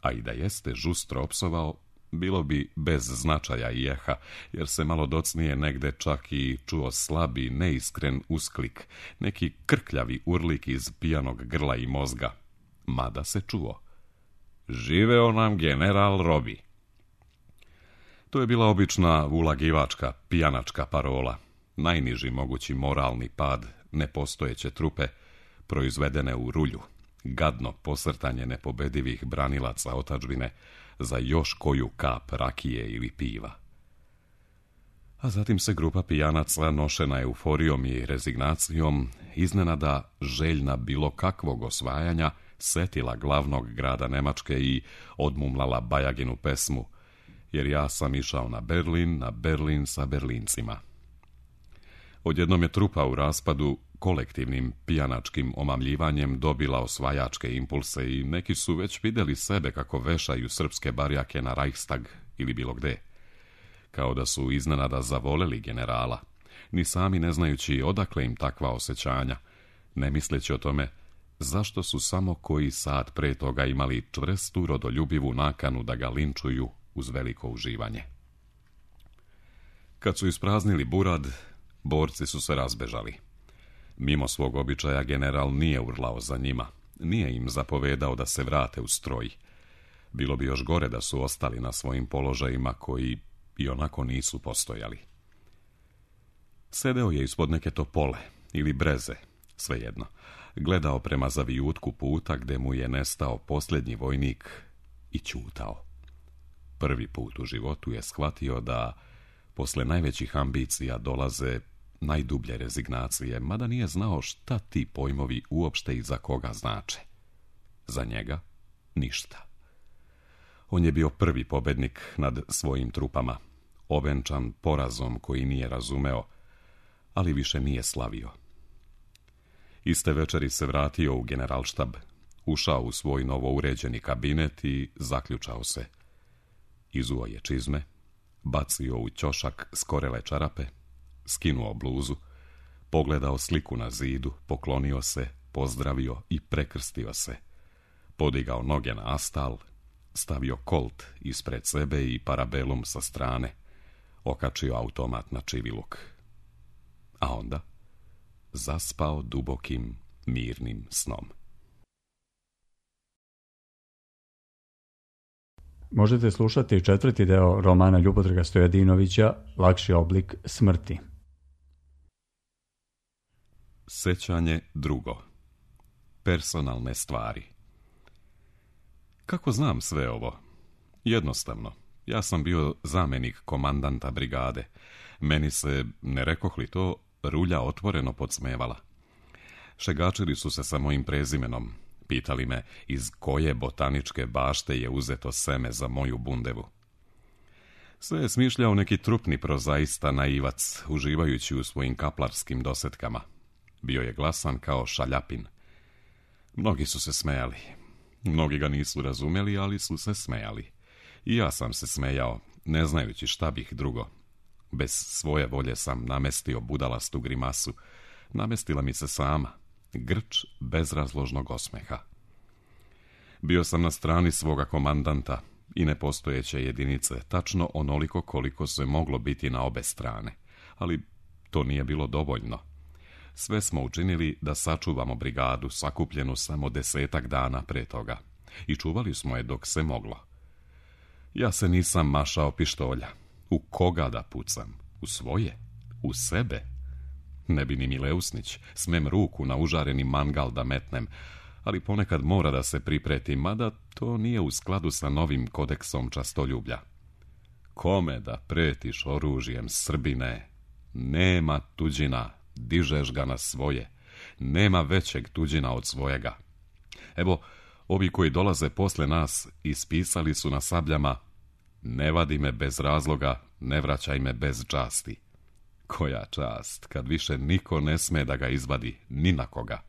A i da jeste žustro opsovao, bilo bi bez značaja i eha, jer se malo docnije negde čak i čuo slabi, neiskren usklik, neki krkljavi urlik iz pijanog grla i mozga. Mada se čuo. Živeo nam general Robi. To je bila obična ulagivačka, pijanačka parola, najniži mogući moralni pad nepostojeće trupe, proizvedene u rulju, gadno posrtanje nepobedivih branilaca otadžbine za još koju kap rakije ili piva. A zatim se grupa pijanaca, nošena euforijom i rezignacijom, iznenada željna bilo kakvog osvajanja, setila glavnog grada Nemačke i odmumlala Bajaginu pesmu, jer ja sam išao na Berlin sa Berlincima. Odjednom je trupa u raspadu kolektivnim pijanačkim omamljivanjem dobila osvajačke impulse i neki su već vidjeli sebe kako vešaju srpske barjake na Reichstag ili bilo gde. Kao da su iznenada zavoleli generala, ni sami ne znajući odakle im takva osjećanja, ne misleći o tome zašto su samo koji sat pre toga imali čvrstu rodoljubivu nakanu da ga linčuju uz veliko uživanje. Kad su ispraznili burad, borci su se razbežali. Mimo svog običaja general nije urlao za njima, nije im zapovedao da se vrate u stroj. Bilo bi još gore da su ostali na svojim položajima koji i onako nisu postojali. Sedeo je ispod neke topole ili breze, svejedno, gledao prema zavijutku puta gde mu je nestao posljednji vojnik i ćutao. Prvi put u životu je shvatio da posle najvećih ambicija dolaze najdublje rezignacije, mada nije znao šta ti pojmovi uopšte i za koga znače. Za njega ništa. On je bio prvi pobednik nad svojim trupama, ovenčan porazom koji nije razumeo, ali više nije slavio. Iste večeri se vratio u generalštab, ušao u svoj novo uređeni kabinet i zaključao se. Izuo je čizme, bacio u ćošak skorele čarape, skinuo bluzu, pogledao sliku na zidu, poklonio se, pozdravio i prekrstio se. Podigao noge na astal, stavio kolt ispred sebe i parabelum sa strane, okačio automat na čiviluk. A onda zaspao dubokim, mirnim snom. možete slušati 4. deo romana Ljubodraga Stojadinovića Lakši oblik smrti. Sećanje drugo. Personalne stvari. Kako znam sve ovo? Jednostavno. Ja sam bio zamjenik komandanta brigade. Meni se, ne rekoh li to, rulja otvoreno podsmevala. Šegačili su se sa mojim prezimenom. Pitali me iz koje botaničke bašte je uzeto seme za moju bundevu. Sve je smišljao neki trupni prozaista naivac, uživajući u svojim kaplarskim dosetkama. Bio je glasan kao šaljapin. Mnogi su se smejali. Mnogi ga nisu razumjeli, ali su se smejali. I ja sam se smejao, ne znajući šta bih drugo. Bez svoje volje sam namestio budalastu grimasu. Namestila mi se sama. Grč bezrazložnog osmeha. Bio sam na strani svoga komandanta i nepostojeće jedinice, tačno onoliko koliko se moglo biti na obe strane. Ali to nije bilo dovoljno. Sve smo učinili da sačuvamo brigadu sakupljenu samo 10 dana pre toga. I čuvali smo je dok se moglo. Ja se nisam mašao pištolja. U koga da pucam? U svoje? U sebe? Ne bi ni Mileusnić, smem ruku na užareni mangal da metnem, ali ponekad mora da se pripretim, mada to nije u skladu sa novim kodeksom častoljublja. Kome da pretiš oružjem, Srbine? Nema tuđina, dižeš ga na svoje. Nema većeg tuđina od svojega. Evo, ovi koji dolaze posle nas ispisali su na sabljama: ne vadi me bez razloga, ne vraćaj me bez časti. Koja čast, kad više niko ne sme da ga izvadi, ni na koga.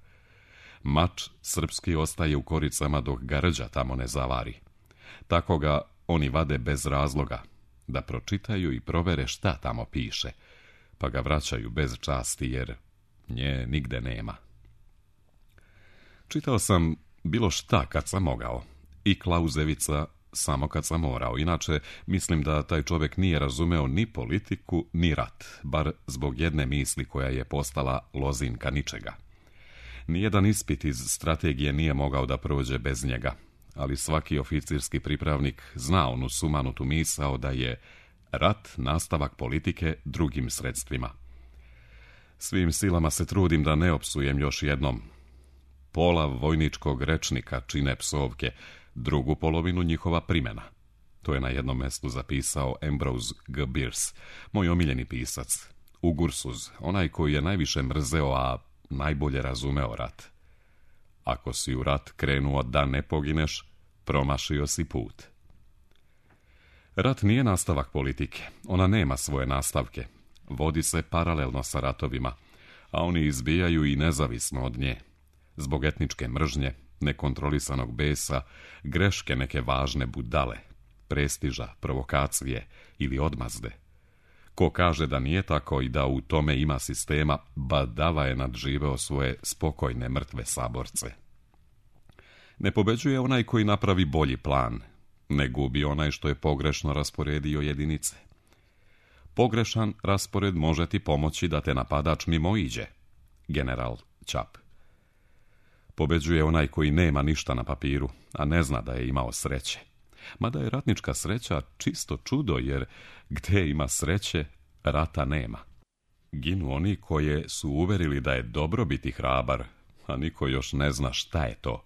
Mač srpski ostaje u koricama dok ga rđa tamo ne zavari. Tako ga oni vade bez razloga, da pročitaju i provere šta tamo piše, pa ga vraćaju bez časti jer nje nigde nema. Čitao sam bilo šta kad sam mogao, i Klauzevica samo kad sam morao. Inače, mislim da taj čovjek nije razumeo ni politiku, ni rat, bar zbog jedne misli koja je postala lozinka ničega. Nijedan ispit iz strategije nije mogao da prođe bez njega, ali svaki oficirski pripravnik zna onu sumanutu misao da je rat nastavak politike drugim sredstvima. Svim silama se trudim da ne opsujem još jednom. Pola vojničkog rečnika čine psovke, drugu polovinu njihova primjena. To je na jednom mjestu zapisao Ambrose G. Bierce, moj omiljeni pisac. Ugursuz, onaj koji je najviše mrzeo, a najbolje razumeo rat. Ako si u rat krenuo da ne pogineš, promašio si put. Rat nije nastavak politike, ona nema svoje nastavke. Vodi se paralelno sa ratovima, a oni izbijaju i nezavisno od nje. Zbog etničke mržnje, nekontrolisanog besa, greške neke važne budale, prestiža, provokacije ili odmazde. Ko kaže da nije tako i da u tome ima sistema, badava je nadživeo svoje spokojne mrtve saborce. Ne pobeđuje onaj koji napravi bolji plan, ne gubi onaj što je pogrešno rasporedio jedinice. Pogrešan raspored može ti pomoći da te napadač mimoiđe. General Čap. Pobeđuje onaj koji nema ništa na papiru, a ne zna da je imao sreće. Mada je ratnička sreća čisto čudo, jer gdje ima sreće, rata nema. Ginu oni koje su uverili da je dobro biti hrabar, a niko još ne zna šta je to.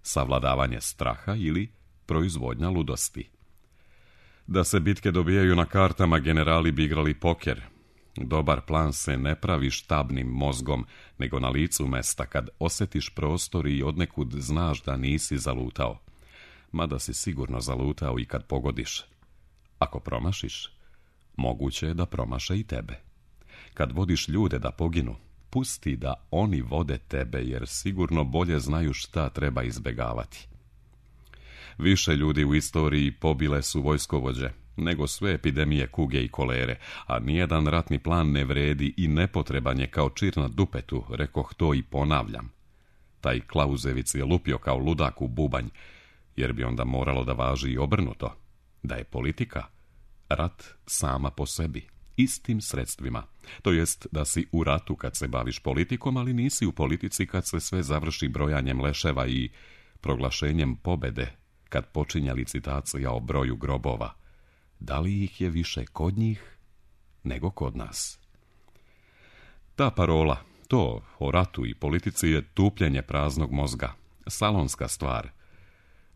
Savladavanje straha ili proizvodnja ludosti. Da se bitke dobijaju na kartama, generali bi igrali poker. Dobar plan se ne pravi štabnim mozgom, nego na licu mesta, kad osjetiš prostor i odnekud znaš da nisi zalutao. Mada si sigurno zalutao i kad pogodiš. Ako promašiš, moguće je da promaše i tebe. Kad vodiš ljude da poginu, pusti da oni vode tebe, jer sigurno bolje znaju šta treba izbegavati. Više ljudi u istoriji pobile su vojskovođe nego sve epidemije kuge i kolere, a nijedan ratni plan ne vredi i nepotreban je kao čir na dupetu, rekoh to i ponavljam. Taj Klauzevic je lupio kao ludak u bubanj, jer bi onda moralo da važi i obrnuto, da je politika rat sama po sebi, istim sredstvima. To jest da si u ratu kad se baviš politikom, ali nisi u politici kad se sve završi brojanjem leševa i proglašenjem pobede kad počinje licitacija o broju grobova, da li ih je više kod njih nego kod nas? Ta parola, to o ratu i politici je tupljenje praznog mozga, salonska stvar.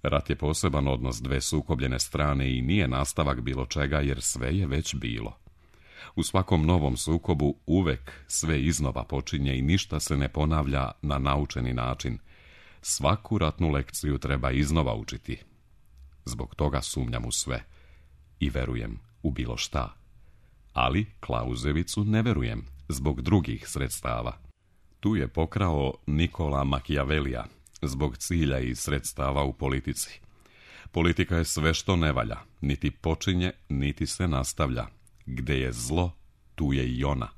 Rat je poseban odnos dve sukobljene strane i nije nastavak bilo čega jer sve je već bilo. U svakom novom sukobu uvek sve iznova počinje i ništa se ne ponavlja na naučeni način. Svaku ratnu lekciju treba iznova učiti. Zbog toga sumnjam u sve i verujem u bilo šta. Ali Klauzevicu ne verujem zbog drugih sredstava. Tu je pokrao Nikola Machiavellija zbog cilja i sredstava u politici. Politika je sve što ne valja, niti počinje, niti se nastavlja. Gde je zlo, tu je i ona,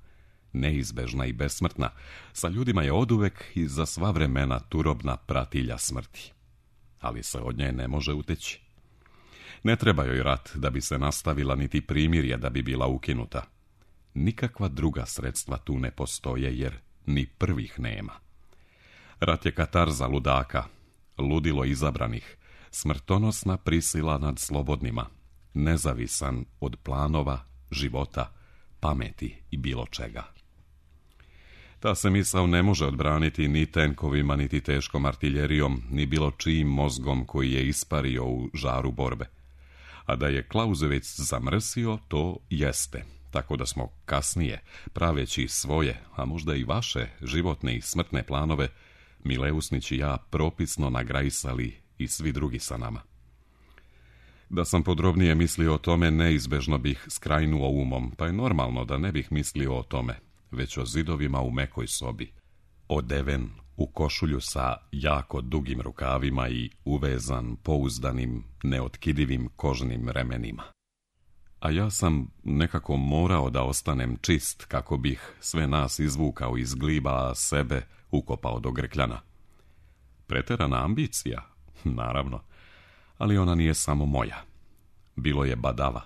neizbežna i besmrtna. Sa ljudima je oduvek i za sva vremena turobna pratilja smrti. Ali se od nje ne može uteći. Ne treba joj rat da bi se nastavila, niti primirje da bi bila ukinuta. Nikakva druga sredstva tu ne postoje, jer ni prvih nema. Rat je katarza ludaka, ludilo izabranih, smrtonosna prisila nad slobodnima, nezavisan od planova, života, pameti i bilo čega. Ta se misao ne može odbraniti ni tenkovima, niti teškom artiljerijom, ni bilo čijim mozgom koji je ispario u žaru borbe. A da je Klauzevic zamrsio, to jeste, tako da smo kasnije, praveći svoje, a možda i vaše životne i smrtne planove, Mileusnić i ja propisno nagrajsali i svi drugi sa nama. Da sam podrobnije mislio o tome, neizbežno bih skrajnuo umom, pa je normalno da ne bih mislio o tome, već o zidovima u mekoj sobi, odeven u košulju sa jako dugim rukavima i uvezan pouzdanim, neotkidivim kožnim remenima. A ja sam nekako morao da ostanem čist kako bih sve nas izvukao iz gliba, a sebe ukopao do grkljana. Preterana ambicija, naravno, ali ona nije samo moja. Bilo je badava.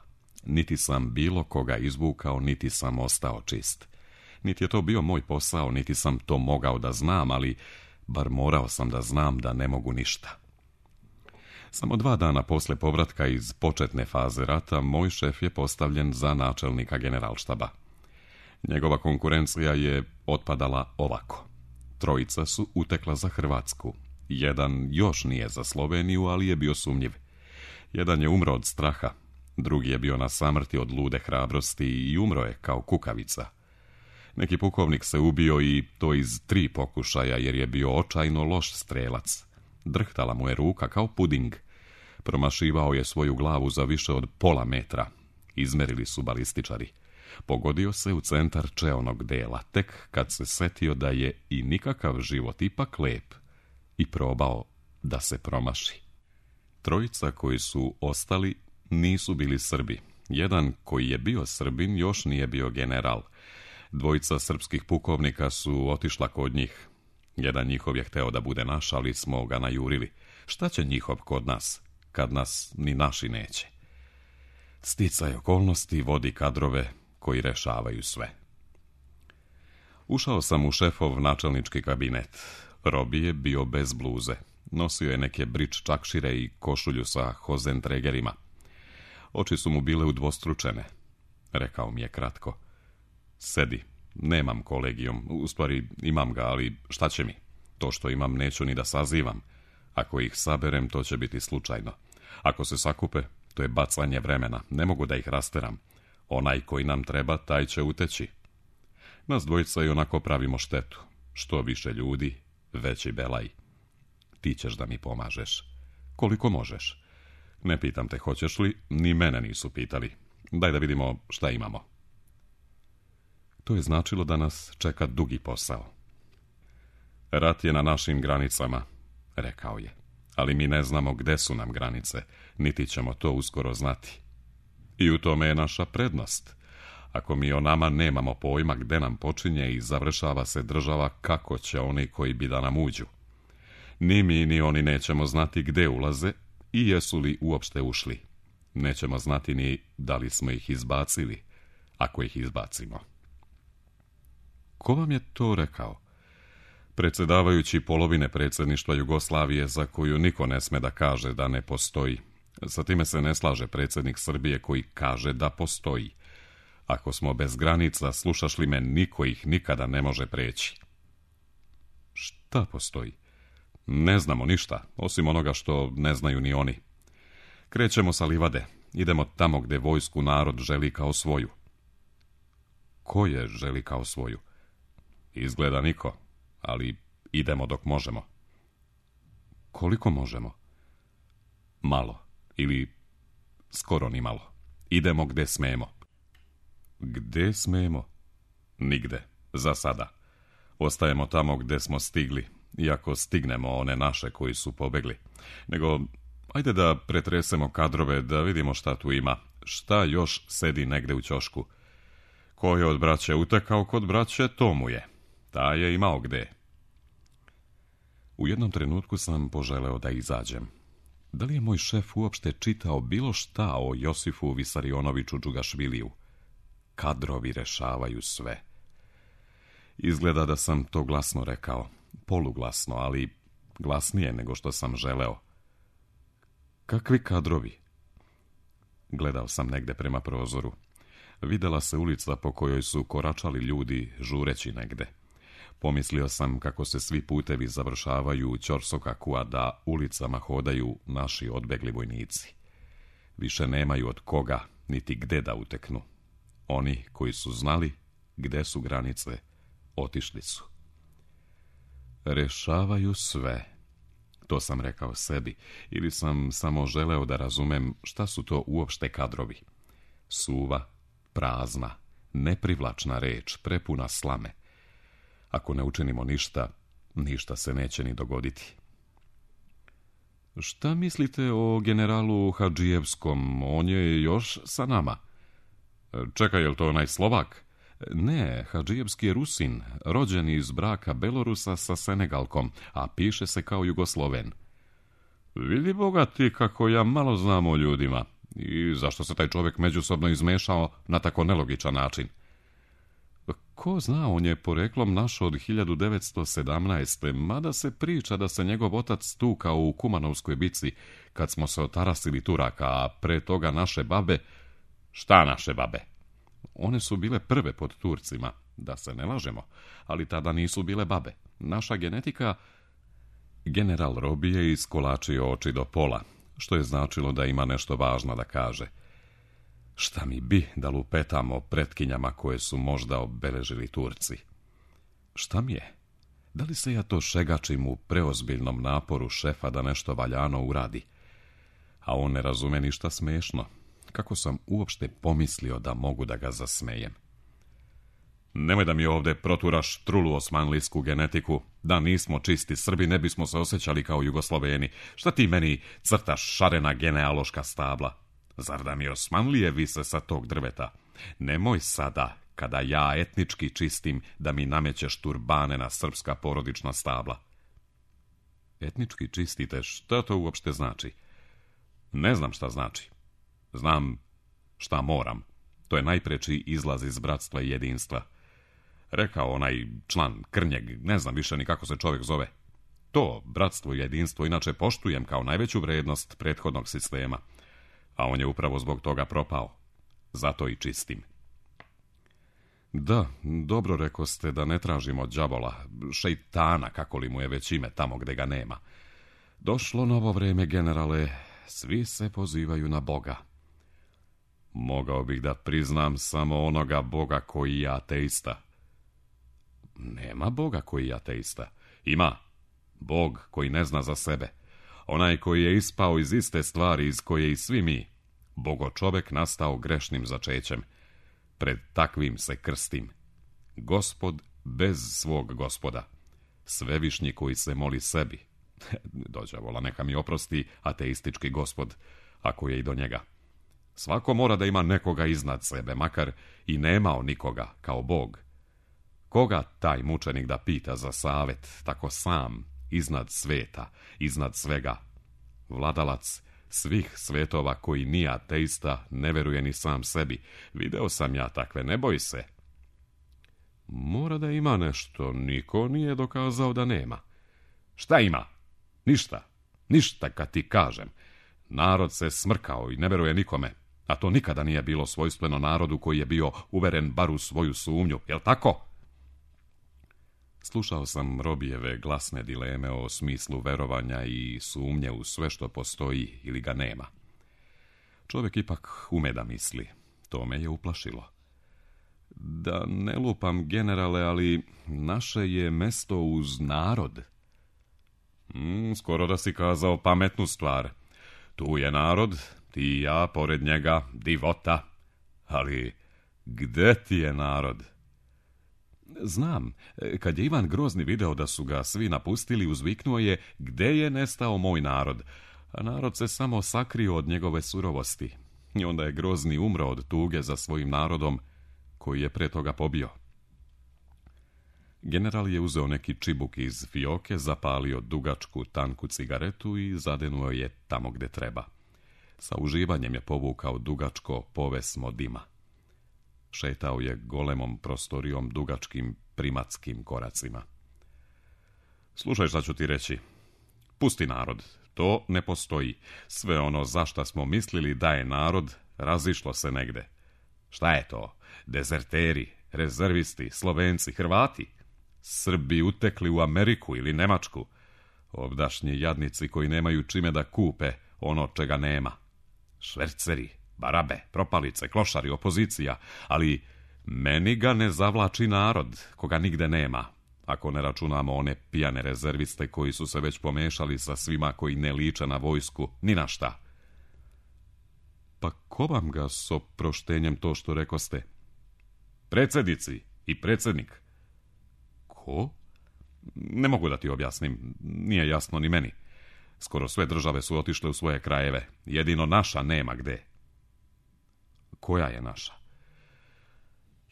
Niti sam bilo koga izvukao, niti sam ostao čist. Niti je to bio moj posao, niti sam to mogao da znam, ali bar morao sam da znam da ne mogu ništa. Samo 2 dana posle povratka iz početne faze rata, moj šef je postavljen za načelnika generalštaba. Njegova konkurencija je otpadala ovako. 3 su utekla za Hrvatsku. 1 još nije za Sloveniju, ali je bio sumnjiv. 1 je umro od straha, drugi je bio na samrti od lude hrabrosti i umro je kao kukavica. Neki pukovnik se ubio i to iz 3 pokušaja jer je bio očajno loš strelac. Drhtala mu je ruka kao puding. Promašivao je svoju glavu za više od pola metra. Izmerili su balističari. Pogodio se u centar čeonog dela, tek kad se setio da je i nikakav život ipak lep i probao da se promaši. 3 koji su ostali nisu bili Srbi. 1 koji je bio Srbin još nije bio general. 2 srpskih pukovnika su otišla kod njih. 1 njihov je hteo da bude naš, ali smo ga najurili. Šta će njihov kod nas, kad nas ni naši neće? Sticaj okolnosti vodi kadrove koji rešavaju sve. Ušao sam u šefov načelnički kabinet. Robi je bio bez bluze. Nosio je neke brič čakšire i košulju sa hozentregerima. Oči su mu bile udvostručene. Rekao mi je kratko. Sedi, nemam kolegijum, u stvari imam ga, ali šta će mi? To što imam neću ni da sazivam. Ako ih saberem, to će biti slučajno. Ako se sakupe, to je bacanje vremena, ne mogu da ih rasteram. Onaj koji nam treba, taj će uteći. Nas 2 i onako pravimo štetu. Što više ljudi, veći belaj. Ti ćeš da mi pomažeš. Koliko možeš? Ne pitam te hoćeš li, ni mene nisu pitali. Daj da vidimo šta imamo. To je značilo da nas čeka dugi posao. Rat je na našim granicama, rekao je. Ali mi ne znamo gde su nam granice, niti ćemo to uskoro znati. I u tome je naša prednost. Ako mi o nama nemamo pojma gde nam počinje i završava se država, kako će oni koji bi da nam uđu? Ni mi, ni oni nećemo znati gde ulaze i jesu li uopšte ušli. Nećemo znati ni da li smo ih izbacili, ako ih izbacimo. Ko vam je to rekao? Predsjedavajući polovine predsjedništva Jugoslavije za koju niko ne sme da kaže da ne postoji. Sa time se ne slaže predsjednik Srbije koji kaže da postoji. Ako smo bez granica, slušaš li me, niko ih nikada ne može preći. Šta postoji? Ne znamo ništa, osim onoga što ne znaju ni oni. Krećemo sa livade, idemo tamo gdje vojsku narod želi kao svoju. Ko je želi kao svoju? Izgleda niko, ali idemo dok možemo. Koliko možemo? Malo, ili skoro ni malo. Idemo gdje smemo. Gdje smemo? Nigde, za sada. Ostajemo tamo gdje smo stigli, iako stignemo one naše koji su pobegli. Nego, ajde da pretresemo kadrove, da vidimo šta tu ima. Šta još sedi negde u ćošku? Ko je od braće utekao kod braće, to mu je. Ta je imao gde. U jednom trenutku sam poželeo da izađem. Da li je moj šef uopšte čitao bilo šta o Josifu Visarionoviću Džugašviliju? Kadrovi rešavaju sve. Izgleda da sam to glasno rekao. Poluglasno, ali glasnije nego što sam želeo. Kakvi kadrovi? Gledao sam negde prema prozoru. Videla se ulica po kojoj su koračali ljudi žureći negde. Pomislio sam kako se svi putevi završavaju u Ćorsokaku, a da ulicama hodaju naši odbegli vojnici. Više nemaju od koga, niti gde da uteknu. Oni koji su znali gde su granice, otišli su. Rešavaju sve. To sam rekao sebi, ili sam samo želeo da razumem šta su to uopšte kadrovi. Suva, prazna, neprivlačna reč, prepuna slame. Ako ne učinimo ništa, ništa se neće ni dogoditi. Šta mislite o generalu Hadžijevskom? On je još sa nama. Čekaj, je li to onaj Slovak? Ne, Hadžijevski je Rusin, rođen iz braka Belorusa sa Senegalkom, a piše se kao Jugosloven. Vidi Boga ti kako ja malo znam o ljudima. I zašto se taj čovjek međusobno izmešao na tako nelogičan način? Ko zna, on je poreklom naš od 1917. Mada se priča da se njegov otac tukao u Kumanovskoj bici kad smo se otarasili Turaka, a pre toga naše babe... Šta naše babe? One su bile prve pod Turcima, da se ne lažemo, ali tada nisu bile babe. Naša genetika... General Robi je iskolačio oči do pola, što je značilo da ima nešto važno da kaže. Šta mi bi da lupetamo pretkinjama koje su možda obeležili Turci? Šta mi je? Da li se ja to šegačim u preozbiljnom naporu šefa da nešto valjano uradi? A on ne razume ništa smešno. Kako sam uopšte pomislio da mogu da ga zasmejem? Nemoj da mi ovde proturaš trulu osmanlijsku genetiku. Da nismo čisti Srbi, ne bismo se osjećali kao Jugosloveni. Šta ti meni crtaš šarena genealoška stabla? Zar da mi Osmanlije vise sa tog drveta? Nemoj sada, kada ja etnički čistim, da mi namećeš turbane na srpska porodična stabla. Etnički čistite, šta to uopšte znači? Ne znam šta znači. Znam šta moram. To je najpreči izlaz iz bratstva i jedinstva. Rekao onaj član Krnjeg, ne znam više ni kako se čovjek zove. To, bratstvo i jedinstvo, inače poštujem kao najveću vrednost prethodnog sistema. A on je upravo zbog toga propao. Zato i čistim. Da, dobro rekoste da ne tražimo đavola, šejtana, kako li mu je već ime, tamo gde ga nema. Došlo novo vreme, generale, svi se pozivaju na Boga. Mogao bih da priznam samo onoga Boga koji je ateista. Nema Boga koji je ateista. Ima Bog koji ne zna za sebe. Onaj koji je ispao iz iste stvari iz koje i svi mi. Bogo čovek nastao grešnim začećem. Pred takvim se krstim. Gospod bez svog gospoda. Svevišnji koji se moli sebi. Dođavola, neka mi oprosti ateistički gospod, ako je i do njega. Svako mora da ima nekoga iznad sebe, makar i nemao nikoga kao Bog. Koga taj mučenik da pita za savet, tako sam, iznad sveta, iznad svega? Vladalac svih svetova koji nije ateista, ne veruje ni sam sebi. Video sam ja takve, ne boj se. Mora da ima nešto, niko nije dokazao da nema. Šta ima? Ništa. Ništa kad ti kažem. Narod se smrkao i ne veruje nikome, a to nikada nije bilo svojstveno narodu koji je bio uveren bar u svoju sumnju, jel tako? Slušao sam Robijeve glasne dileme o smislu verovanja i sumnje u sve što postoji ili ga nema. Čovjek ipak ume da misli. To me je uplašilo. Da ne lupam, generale, ali naše je mesto uz narod. Skoro da si kazao pametnu stvar. Tu je narod, ti i ja, pored njega, divota. Ali gde ti je narod? Znam, kad je Ivan Grozni video da su ga svi napustili, uzviknuo je: gde je nestao moj narod? A narod se samo sakrio od njegove surovosti. I onda je Grozni umro od tuge za svojim narodom, koji je pre toga pobio. General je uzeo neki čibuk iz fioke, zapalio dugačku, tanku cigaretu i zadenuo je tamo gde treba. Sa uživanjem je povukao dugačko povesmo dima. Šetao je golemom prostorijom dugačkim primatskim koracima. Slušaj šta ću ti reći. Pusti narod, to ne postoji. Sve ono za šta smo mislili da je narod, razišlo se negde. Šta je to? Dezerteri, rezervisti, Slovenci, Hrvati? Srbi utekli u Ameriku ili Nemačku? Ovdašnji jadnici koji nemaju čime da kupe ono čega nema. Šverceri, barabe, propalice, klošari, opozicija, ali meni ga ne zavlači narod, koga nigde nema, ako ne računamo one pijane rezerviste koji su se već pomešali sa svima koji ne liče na vojsku, ni na šta. Pa ko vam ga s oproštenjem to što rekoste? Predsjednici i predsjednik. Ko? Ne mogu da ti objasnim, nije jasno ni meni. Skoro sve države su otišle u svoje krajeve, jedino naša nema gde. Koja je naša?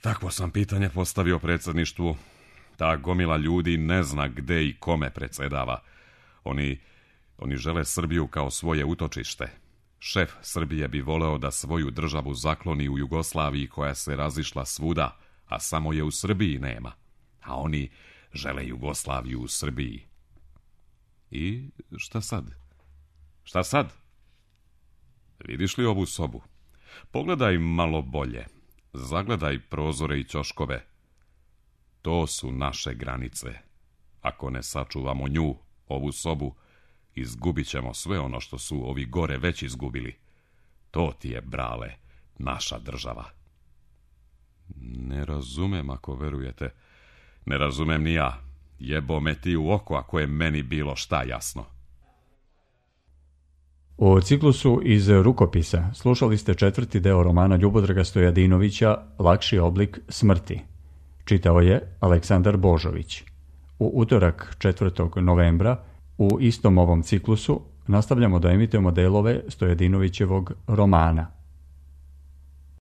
Takvo sam pitanje postavio predsjedništvu. Ta gomila ljudi ne zna gde i kome predsjedava. Oni žele Srbiju kao svoje utočište. Šef Srbije bi voleo da svoju državu zakloni u Jugoslaviji koja se razišla svuda, a samo je u Srbiji nema. A oni žele Jugoslaviju u Srbiji. I šta sad? Šta sad? Vidiš li ovu sobu? Pogledaj malo bolje. Zagledaj prozore i ćoškove. To su naše granice. Ako ne sačuvamo nju, ovu sobu, izgubit ćemo sve ono što su ovi gore već izgubili. To ti je, brale, naša država. Ne razumem ako verujete. Ne razumem ni ja. Jebo me ti u oko ako je meni bilo šta jasno. U ciklusu iz rukopisa slušali ste 4. deo romana Ljubodraga Stojadinovića Lakši oblik smrti. Čitao je Aleksandar Božović. U utorak 4. novembra u istom ovom ciklusu nastavljamo da emitujemo delove Stojadinovićevog romana